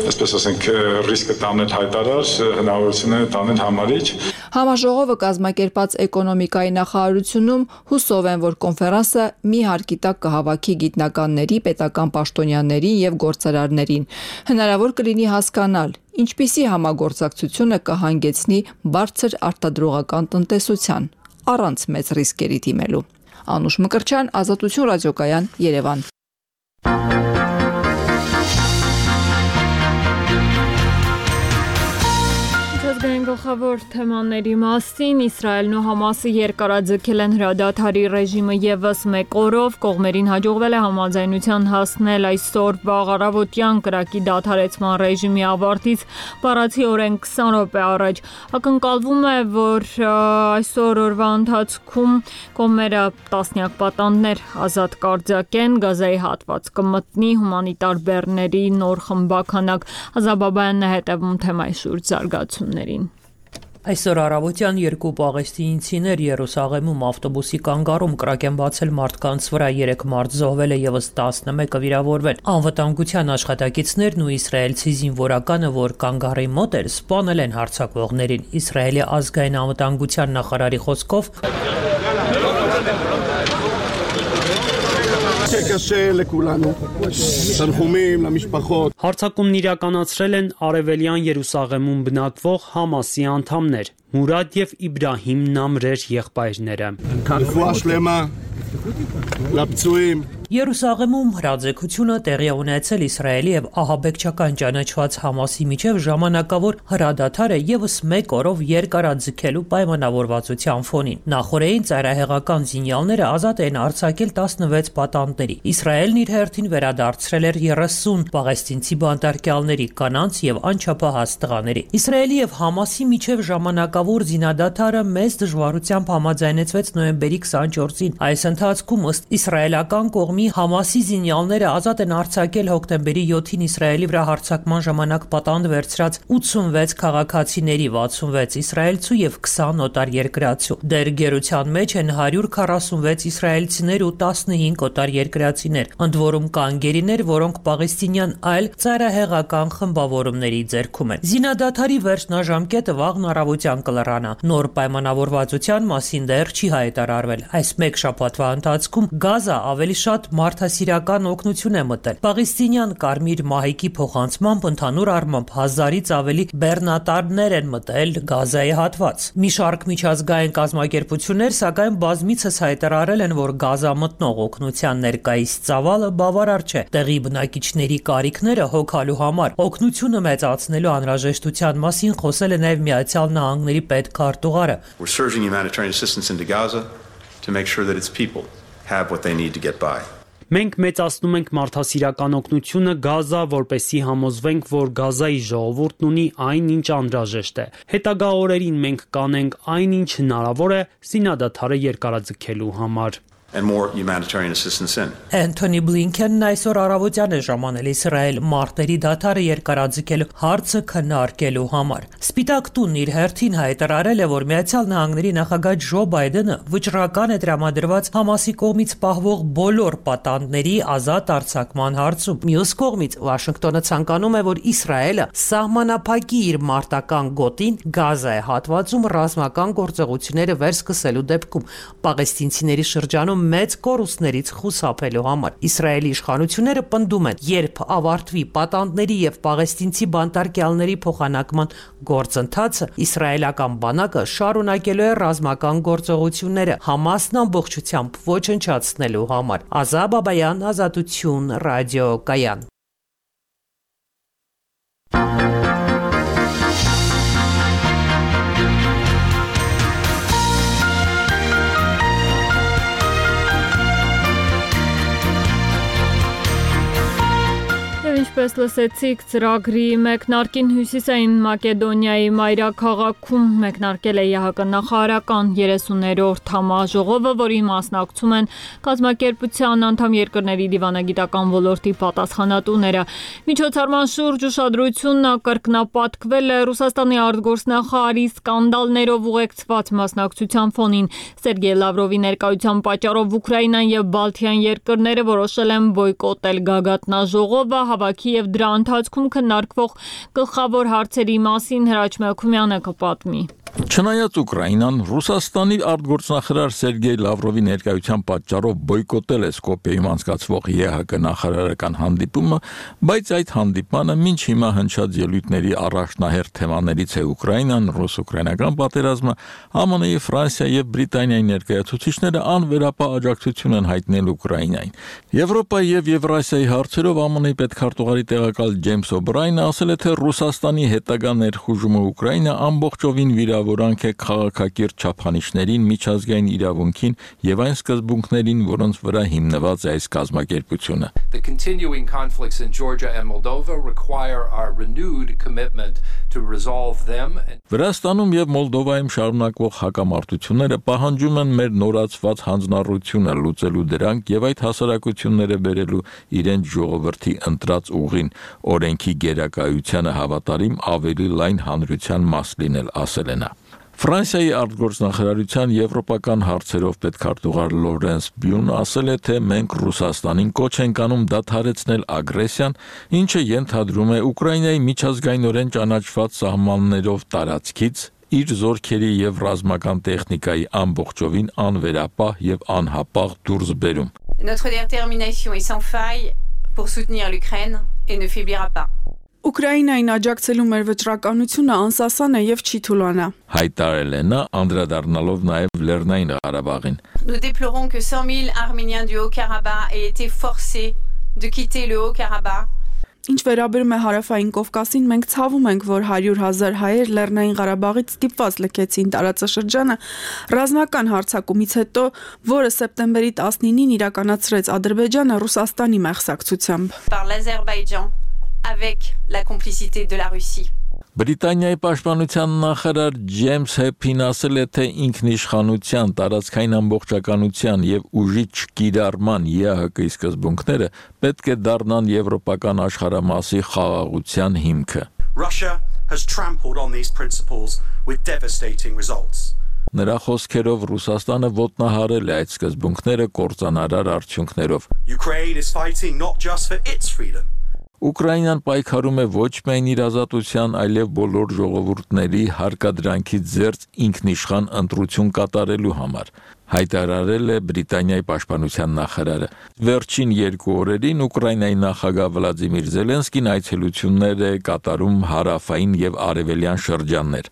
այսպես ասենք, ռիսկը տանել հայտարար, հնարավորությունները տանել համարիչ։ Համաժողովը կազմակերպած էկոնոմիկայի նախարարությունում հուսով են, որ կոնֆերանսը մի հարկի տակ կհավաքի գիտնականների, պետական պաշտոնյաներին եւ գործարարներին։ Հնարավոր կլինի հասկանալ, ինչպիսի համագործակցությունը կհանգեցնի բարձր արտադրողական տնտեսության, առանց մեծ ռիսկերի դիմելու։ Անուշ Մկրտչյան, Ազատություն ռադիոկայան, Երևան։ Ազգային Գլխավոր թեմաների մասին Իսրայելն ու Համասը երկարաձգել են հրադադարի ռեժիմը եւս մեկ օրով, կողմերին հաջողվել է համաձայնության հասնել այսօր վաղ առավոտյան կրակի դադարեցման ռեժիմի ավարտից բառացի օրեն քսան րոպե առաջ։ Ակնկալվում է, որ այսօր օրվա ընթացքում կողմերը տասնյակ պատանդներ ազատ կարձակեն, Գազայի հատված կմտնի հումանիտար բեռների նոր խմբականակ։ Ազաբաբայանն է հետևում թեմայի շուրջ զարգացումներին։ Այսօր առավոտյան երկու պաղեստինցիներ Երուսաղեմում ավտոբուսի կանգառում կրակ են բացել մարդկանց վրա, երեք մարդ զոհվել է ևս տասնմեկը վիրավորվել։ Անվտանգության աշխատակիցներն ու իսրայելցի զինվորականը, որ կանգառի մոտ էր, սպանել են հարձակվողներին։ Իսրայելի ազգային անվտանգության նախարարի խոսքով Հարձակումն իրականացրել են Արևելյան Երուսաղեմում բնակվող Համասի անդամներ՝ Մուրադ եւ Իբրահիմ Նամրեր եղբայրները։ Երուսաղեմում հրաձգությունը տեղի ունեցել Իսրայելի եւ ահաբեկչական ճանաչված Համասի միջև ժամանակավոր հրադադարը եւս մեկ օրով երկարաձգելու պայմանավորվածության ֆոնին։ Նախորդին ծայրահեղական զինյալները ազատ են արձակել տասնվեց պատանդների։ Իսրայելն իր հերթին վերադարձրել էր երեսուն պաղեստինցի բանտարկյալների, կանանց եւ անչափահաս տղաների։ Իսրայելի եւ Համասի միջև ժամանակավոր զինադադարը մեծ դժվարությամբ համաձայնեցվեց նոյեմբերի քսանչորսին։ Այս ընթացքում ըստ իսրայելական կողմի Համասի զինյալները ազատ են արձակել հոկտեմբերի յոթին Իսրայելի վրա հարձակման ժամանակ պատանդ վերցրած ութսունվեց քաղաքացիների, վաթսունվեց իսրայելցու եւ քսան օտարերկրացու։ Դեր գերության մեջ են հարյուր քառասունվեց իսրայելցիներ ու տասնհինգ օտարերկրացիներ, ընդ որում կան գերիներ, որոնք պաղեստինյան այլ ծայրահեղական խմբավորումների ձեռքում են։ Զինադադարի վերջնաժամկետը վաղն առավոտյան կլրանա։ Նոր պայմանավորվածության մասին դեռ չի հայտարարվել։ Այս մեկ շաբաթվա ընթացքում Գազա ավելի շատ մարդասիրական օգնություն է մտել։ Պաղեստինյան Կարմիր մահիկի փոխանցմամբ ընդհանուր առմամբ հազարից ավելի բեռնատարներ են մտել Գազայի հատված։ Մի շարք միջազգային կազմակերպություններ սակայն բազմիցս հայտարարել են, որ Գազա մտնող օգնության ներկայիս ծավալը բավարար չէ։ Տեղի բնակիչների կարիքները հոգալու համար օգնությունը մեծացնելու անհրաժեշտության մասին խոսել է նաև Միացյալ Նահանգների պետքարտուղարը։ We're surging humanitarian assistance into Gaza to make sure that its people have what they need to get by. Մենք մեծացնում ենք մարդասիրական օգնությունը Գազա, որպեսզի համոզվենք, որ Գազայի ժողովուրդն ունի այն, ինչ անհրաժեշտ է։ Հետագա օրերին մենք կանենք այն, ինչ հնարավոր է զինադադարը երկարաձգելու համար։ And more humanitarian assistance in. Անթոնի Բլինքենն այսօր առավոտյան է ժամանել Իսրայել մարտերի դադարը երկարաձգելու հարցը քննարկելու համար։ Սպիտակ տունն իր հերթին հայտարարել է, որ Միացյալ Նահանգների նախագահ Ջո Բայդենը վճռական է տրամադրված Համասի կողմից պահվող բոլոր պատանդների ազատ արձակման հարցում։ Մյուս կողմից Վաշինգտոնը ցանկանում է, որ Իսրայելը սահմանափակի իր մարտական գոտին Գազայի հատվածում ռազմական գործողությունները վերսկսելու դեպքում պաղեստինցիների շրջանում մեծ կորուստներից խուսափելու համար։ Իսրայելի իշխանությունները պնդում են, երբ ավարտվի պատանդների եւ պաղեստինցի բանտարկյալների փոխանակման գործընթացը, իսրայելական բանակը շարունակելու է ռազմական գործողությունները Համասն ամբողջությամբ ոչնչացնելու համար։ Ազաբ Բաբայան, Ազատություն, ռադիոկայան։ Ինչպես լսեցիք, ծրագրի մեկնարկին Հյուսիսային Մակեդոնիայի մայրաքաղաքում մեկնարկել է ԵՀԿ նախարարական երեսուներորդ համաժողովը, որի մասնակցում են կազմակերպության անդամ երկրների դիվանագիտական ոլորտի պատասխանատուները։ Միջոցառման շուրջ ուշադրությունն կրկնապատկվել է Ռուսաստանի արտգործնախարարի սկանդալներով ուղեկցված մասնակցության ֆոնին։ Սերգեյ Լավրովի ներկայության պատճառով Ուկրաինան եւ Բալթյան երկրները որոշել են բոյկոտել գագաթնաժողովը, հավաքի եւ դրա ընթացքում քննարկվող գլխավոր հարցերի մասին Հրաչ Մելքումյանը կպատմի։ Չնայած Ուկրաինան Ռուսաստանի արտգործնախարար Սերգեյ Լավրովի ներկայության պատճառով բոյկոտել է Սկոպիեում անցկացվող ԵՀԿ նախարարական հանդիպումը, բայց այդ հանդիպանը մինչ հիմա հնչած ելույթների առաջնահերթ թեմաներից է Ուկրաինան, ռուս-ուկրաինական պատերազմը, ԱՄՆ-ի, Ֆրանսիա եւ Բրիտանիայի ներկայացուցիչները անվերապահ աջակցություն են հայտնել Ուկրաինային։ Եվրոպայի եւ Եվրասիայի հարցերով ԱՄՆ-ի պետքարտուղար արտգործնախարարի տեղակալ Ջեյմս Օբրայնը ասել է, թե Ռուսաստանի հետագա ներխուժումը Ուկրաինա ամբողջովին վիրավորանք է քաղաքակիրթ չափանիշներին, միջազգային իրավունքին եւ այն սկզբունքներին, որոնց վրա հիմնված է այս կազմակերպությունը։ The continuing conflicts in Georgia and Moldova require our renewed commitment to resolve them. Վրաստանում եւ Մոլդովայում շարունակվող հակամարտությունները պահանջում են մեր նորացված հանձնառությունը լուծելու դրանք եւ այդ հասարակությունները բերելու իրենց ժողովրդի ընտրած ուղին, օրենքի գերակայությանը հավատարիմ ավելի լայն հանրության մաս լինել, ասել է նա։ Ֆրանսիայի արտգործնախարարության եվրոպական հարցերով պետքարտուղար Լորենս Բյունը ասել է, թե մենք Ռուսաստանին կոչ ենք անում դադարեցնել ագրեսիան, ինչը ենթադրում է Ուկրաինայի միջազգայինորեն ճանաչված սահմաններով տարածքից իր զորքերի եւ ռազմական տեխնիկայի ամբողջովին անվերապահ եւ անհապաղ դուրս բերում։ Notre détermination est sans faille pour soutenir l'Ukraine et ne faiblira pas. Ուկրաինային աջակցելու մեր վճռականությունը անսասան է եւ չի թուլանա։ Հայտարարել է նա անդրադառնալով նաեւ Լեռնային Ղարաբաղին։ Nous déplorons que cent mille Arméniens du Haut-Karabakh aient été forcés de quitter le Haut-Karabakh. Ինչ վերաբերում է հարավային Կովկասին, մենք ցավում ենք, որ հարյուր հազար հայեր Լեռնային Ղարաբաղից ստիպված լքեցին տարածաշրջանը ռազմական հարձակումից հետո, որը սեպտեմբերի տասնինին իրականացրեց Ադրբեջանը Ռուսաստանի մեղսակցությամբ։ Par l'Azerbaïdjan avec la complicité de la Russie. Բրիտանիայի պաշտպանության նախարար Ջեյմս Հեփին ասել է, թե ինքնիշխանության, տարածքային ամբողջականության եւ ուժի չկիրառման ԵԱՀԿ-ի սկզբունքները պետք է դառնան եվրոպական աշխարհամասի խաղաղության հիմքը։ Russia has trampled on these principles with devastating results. Նրա խոսքերով Ռուսաստանը ոտնահարել է այդ սկզբունքները կործանարար արդյունքներով։ Ukraine is fighting not just for its freedom. Ուկրաինան պայքարում է ոչ միայն իր ազատության, այլև բոլոր ժողովուրդների հարկադրանքից զերծ ինքնիշխան ընտրություն կատարելու համար, հայտարարել է Բրիտանիայի պաշտպանության նախարարը։ Վերջին երկու օրերին Ուկրաինայի նախագահ Վլադիմիր Զելենսկին այցելություններ է կատարում հարավային եւ արևելյան շրջաններ։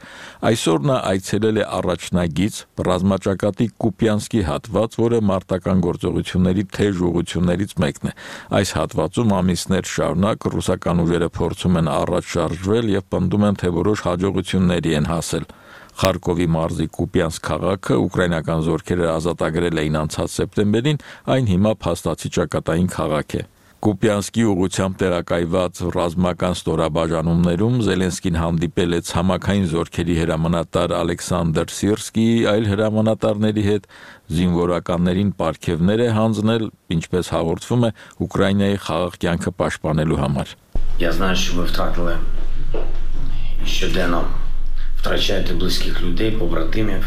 Այսօր նա այցելել է առաջնագիծ ռազմաճակատի Կուպյանսկի հատված, որը մարտական գործողությունների թեժ ուղղություններից մեկն է։ Այս հատվածում ամիսներ շարունակ ռուսական ուժերը փորձում են առաջ շարժվել եւ պնդում են, թե որոշ հաջողությունների են հասել։ Խարկովի մարզի Կուպյանսկ քաղաքը ուկրաինական զորքերը ազատագրել էին անցած սեպտեմբերին, այն հիմա փաստացի ճակատային քաղաք է։ Կուպյանսկի ուղղությամբ տեղակայված ռազմական ստորաբաժանումներում Զելենսկին հանդիպել է ցամաքային զորքերի հրամանատար Ալեքսանդր Սիրսկիի այլ հրամանատարների հետ, զինվորականներին պարգևներ է հանձնել, ինչպես հաղորդվում է Ուկրաինայի խաղաղ կյանքը պաշտպանելու համար։ Я знаю, что вы втратили щоденно втрачаєте близьких людей, побратимів.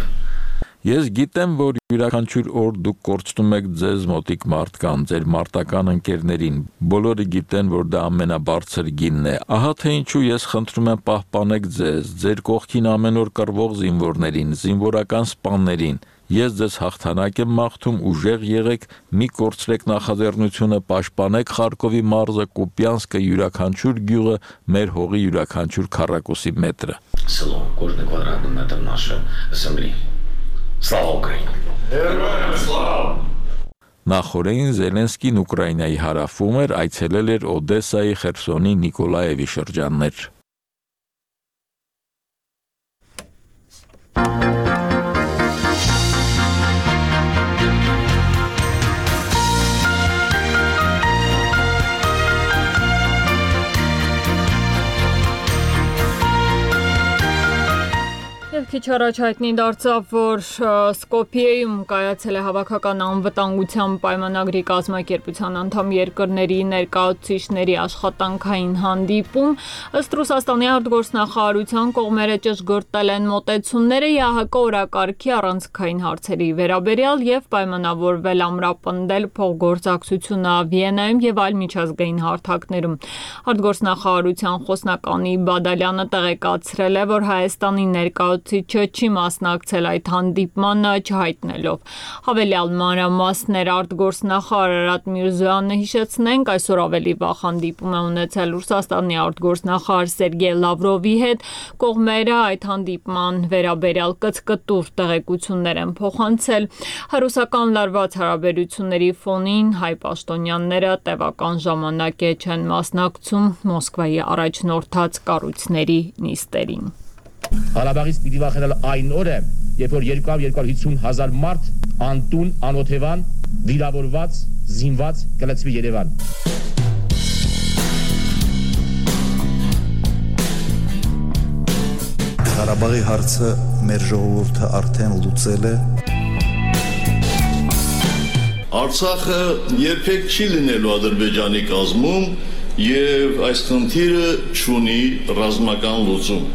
Ես գիտեմ, որ յուրաքանչյուր օր դուք կորցնում եք ձեզ մոտիկ մարդկանց, ձեր մարտական ընկերներին։ Բոլորը գիտեն, որ դա ամենաբարձր գինն է։ Ահա թե ինչու ես խնդրում եմ պահպանեք ձեզ, ձեր կողքին ամեն օր կռվող զինվորներին, զինվորական սպաներին։ Ես ձեզ հաղթանակ եմ մաղթում, ուժեղ եղեք, մի կորցրեք նախաձեռնությունը, պաշտպանեք Խարկովի մարզը, Կուպյանսկը, յուրաքանչյուր գյուղը, մեր հողի յուրաքանչյուր քառակուսի մետրը։ Село, кожний квадратний метр нашої землі. Слава Україні! Героям слава! Նախորդին Զելենսկին Ուկրաինայի հարավում էր, այցելել էր Օդեսայի, Խերսոնի, Նիկոլաևի շրջաններ։ Քիչ առաջ հայտնի դարձավ, որ Սկոպիեում կայացել է հավաքական անվտանգության պայմանագրի կազմակերպության անդամ երկրների ներկայացուցիչների աշխատանքային հանդիպում, ըստ Ռուսաստանի արտգործնախարարության կողմերը ճշգրտել են մոտեցումները ԵԱՀԿ օրակարգի առանցքային հարցերի վերաբերյալ եւ պայմանավորվել ամրապնդել փոխգործակցությունը Վիեննայում եւ այլ միջազգային հարթակներում։ Արտգործնախարարության խոսնականի Բադալյանը տեղեկացրել է, որ Հայաստանի ներկայացուցիչ կառույցը չի մասնակցել այդ հանդիպմանը, չհայտնելով հավելյալ մանրամասներ արտգործնախարար Արարատ Միրզոյանը հիշեցնենք այսօր ավելի վաղ հանդիպում է ունեցել Ռուսաստանի արտգործնախարար Սերգեյ Լավրովի հետ կողմերը այդ հանդիպման վերաբերյալ կցկտուր տեղեկություններ են փոխանցել հերոսական լարված հարաբերությունների ֆոնին հայ պաշտոնյաները տևական ժամանակ է չեն մասնակցում Մոսկվայի առաջնորդած կառույցների նիստերին Ղարաբաղից պիտի վախենալ այն օրը, երբ որ երկու հարյուր հիսուն հազար մարդ անտուն, անօթևան, վիրավորված, զինված կլցվի Երևան։ Ղարաբաղի հարցը մեր ժողովուրդը արդեն լուծել է։ Արցախը երբեք չի լինելու Ադրբեջանի կազմում եւ այս խնդիրը չունի ռազմական լուծում։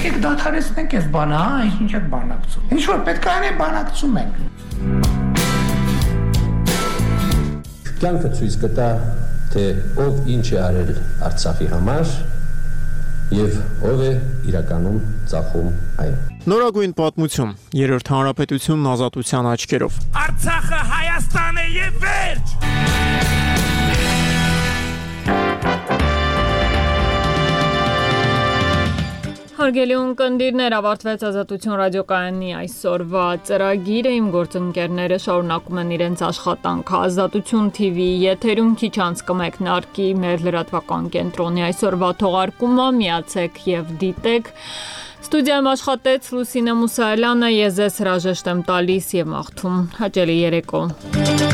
Եկեք դադարեցնենք այս բանը, հա, ինչ եք բանակցում։ Ինչ որ պետք է անենք, բանակցում ենք։ Կյանքը ցույց կտա, թե ով ինչ է արել Արցախի համար եւ ով է իրականում ծախում այն։ Նորագույն պատմություն, երրորդ հանրապետությունն ազատության աչքերով։ Արցախը Հայաստան է եւ վերջ։ Հարգելի ունկնդիրներ, ավարտվեց Ազատություն ռադիոկայանի այսօրվա ծրագիրը, իմ գործընկերները շարունակում են իրենց աշխատանքը Ազատություն թի վի-ի եթերում, քիչ անց կմեկնարկի մեր լրատվական կենտրոնի այսօրվա թողարկումը, միացեք եւ դիտեք։ Ստուդիայում աշխատեց Լուսինե Մուսայելյանը, ես ձեզ հրաժեշտ եմ տալիս եւ մաղթում հաճելի երեկո։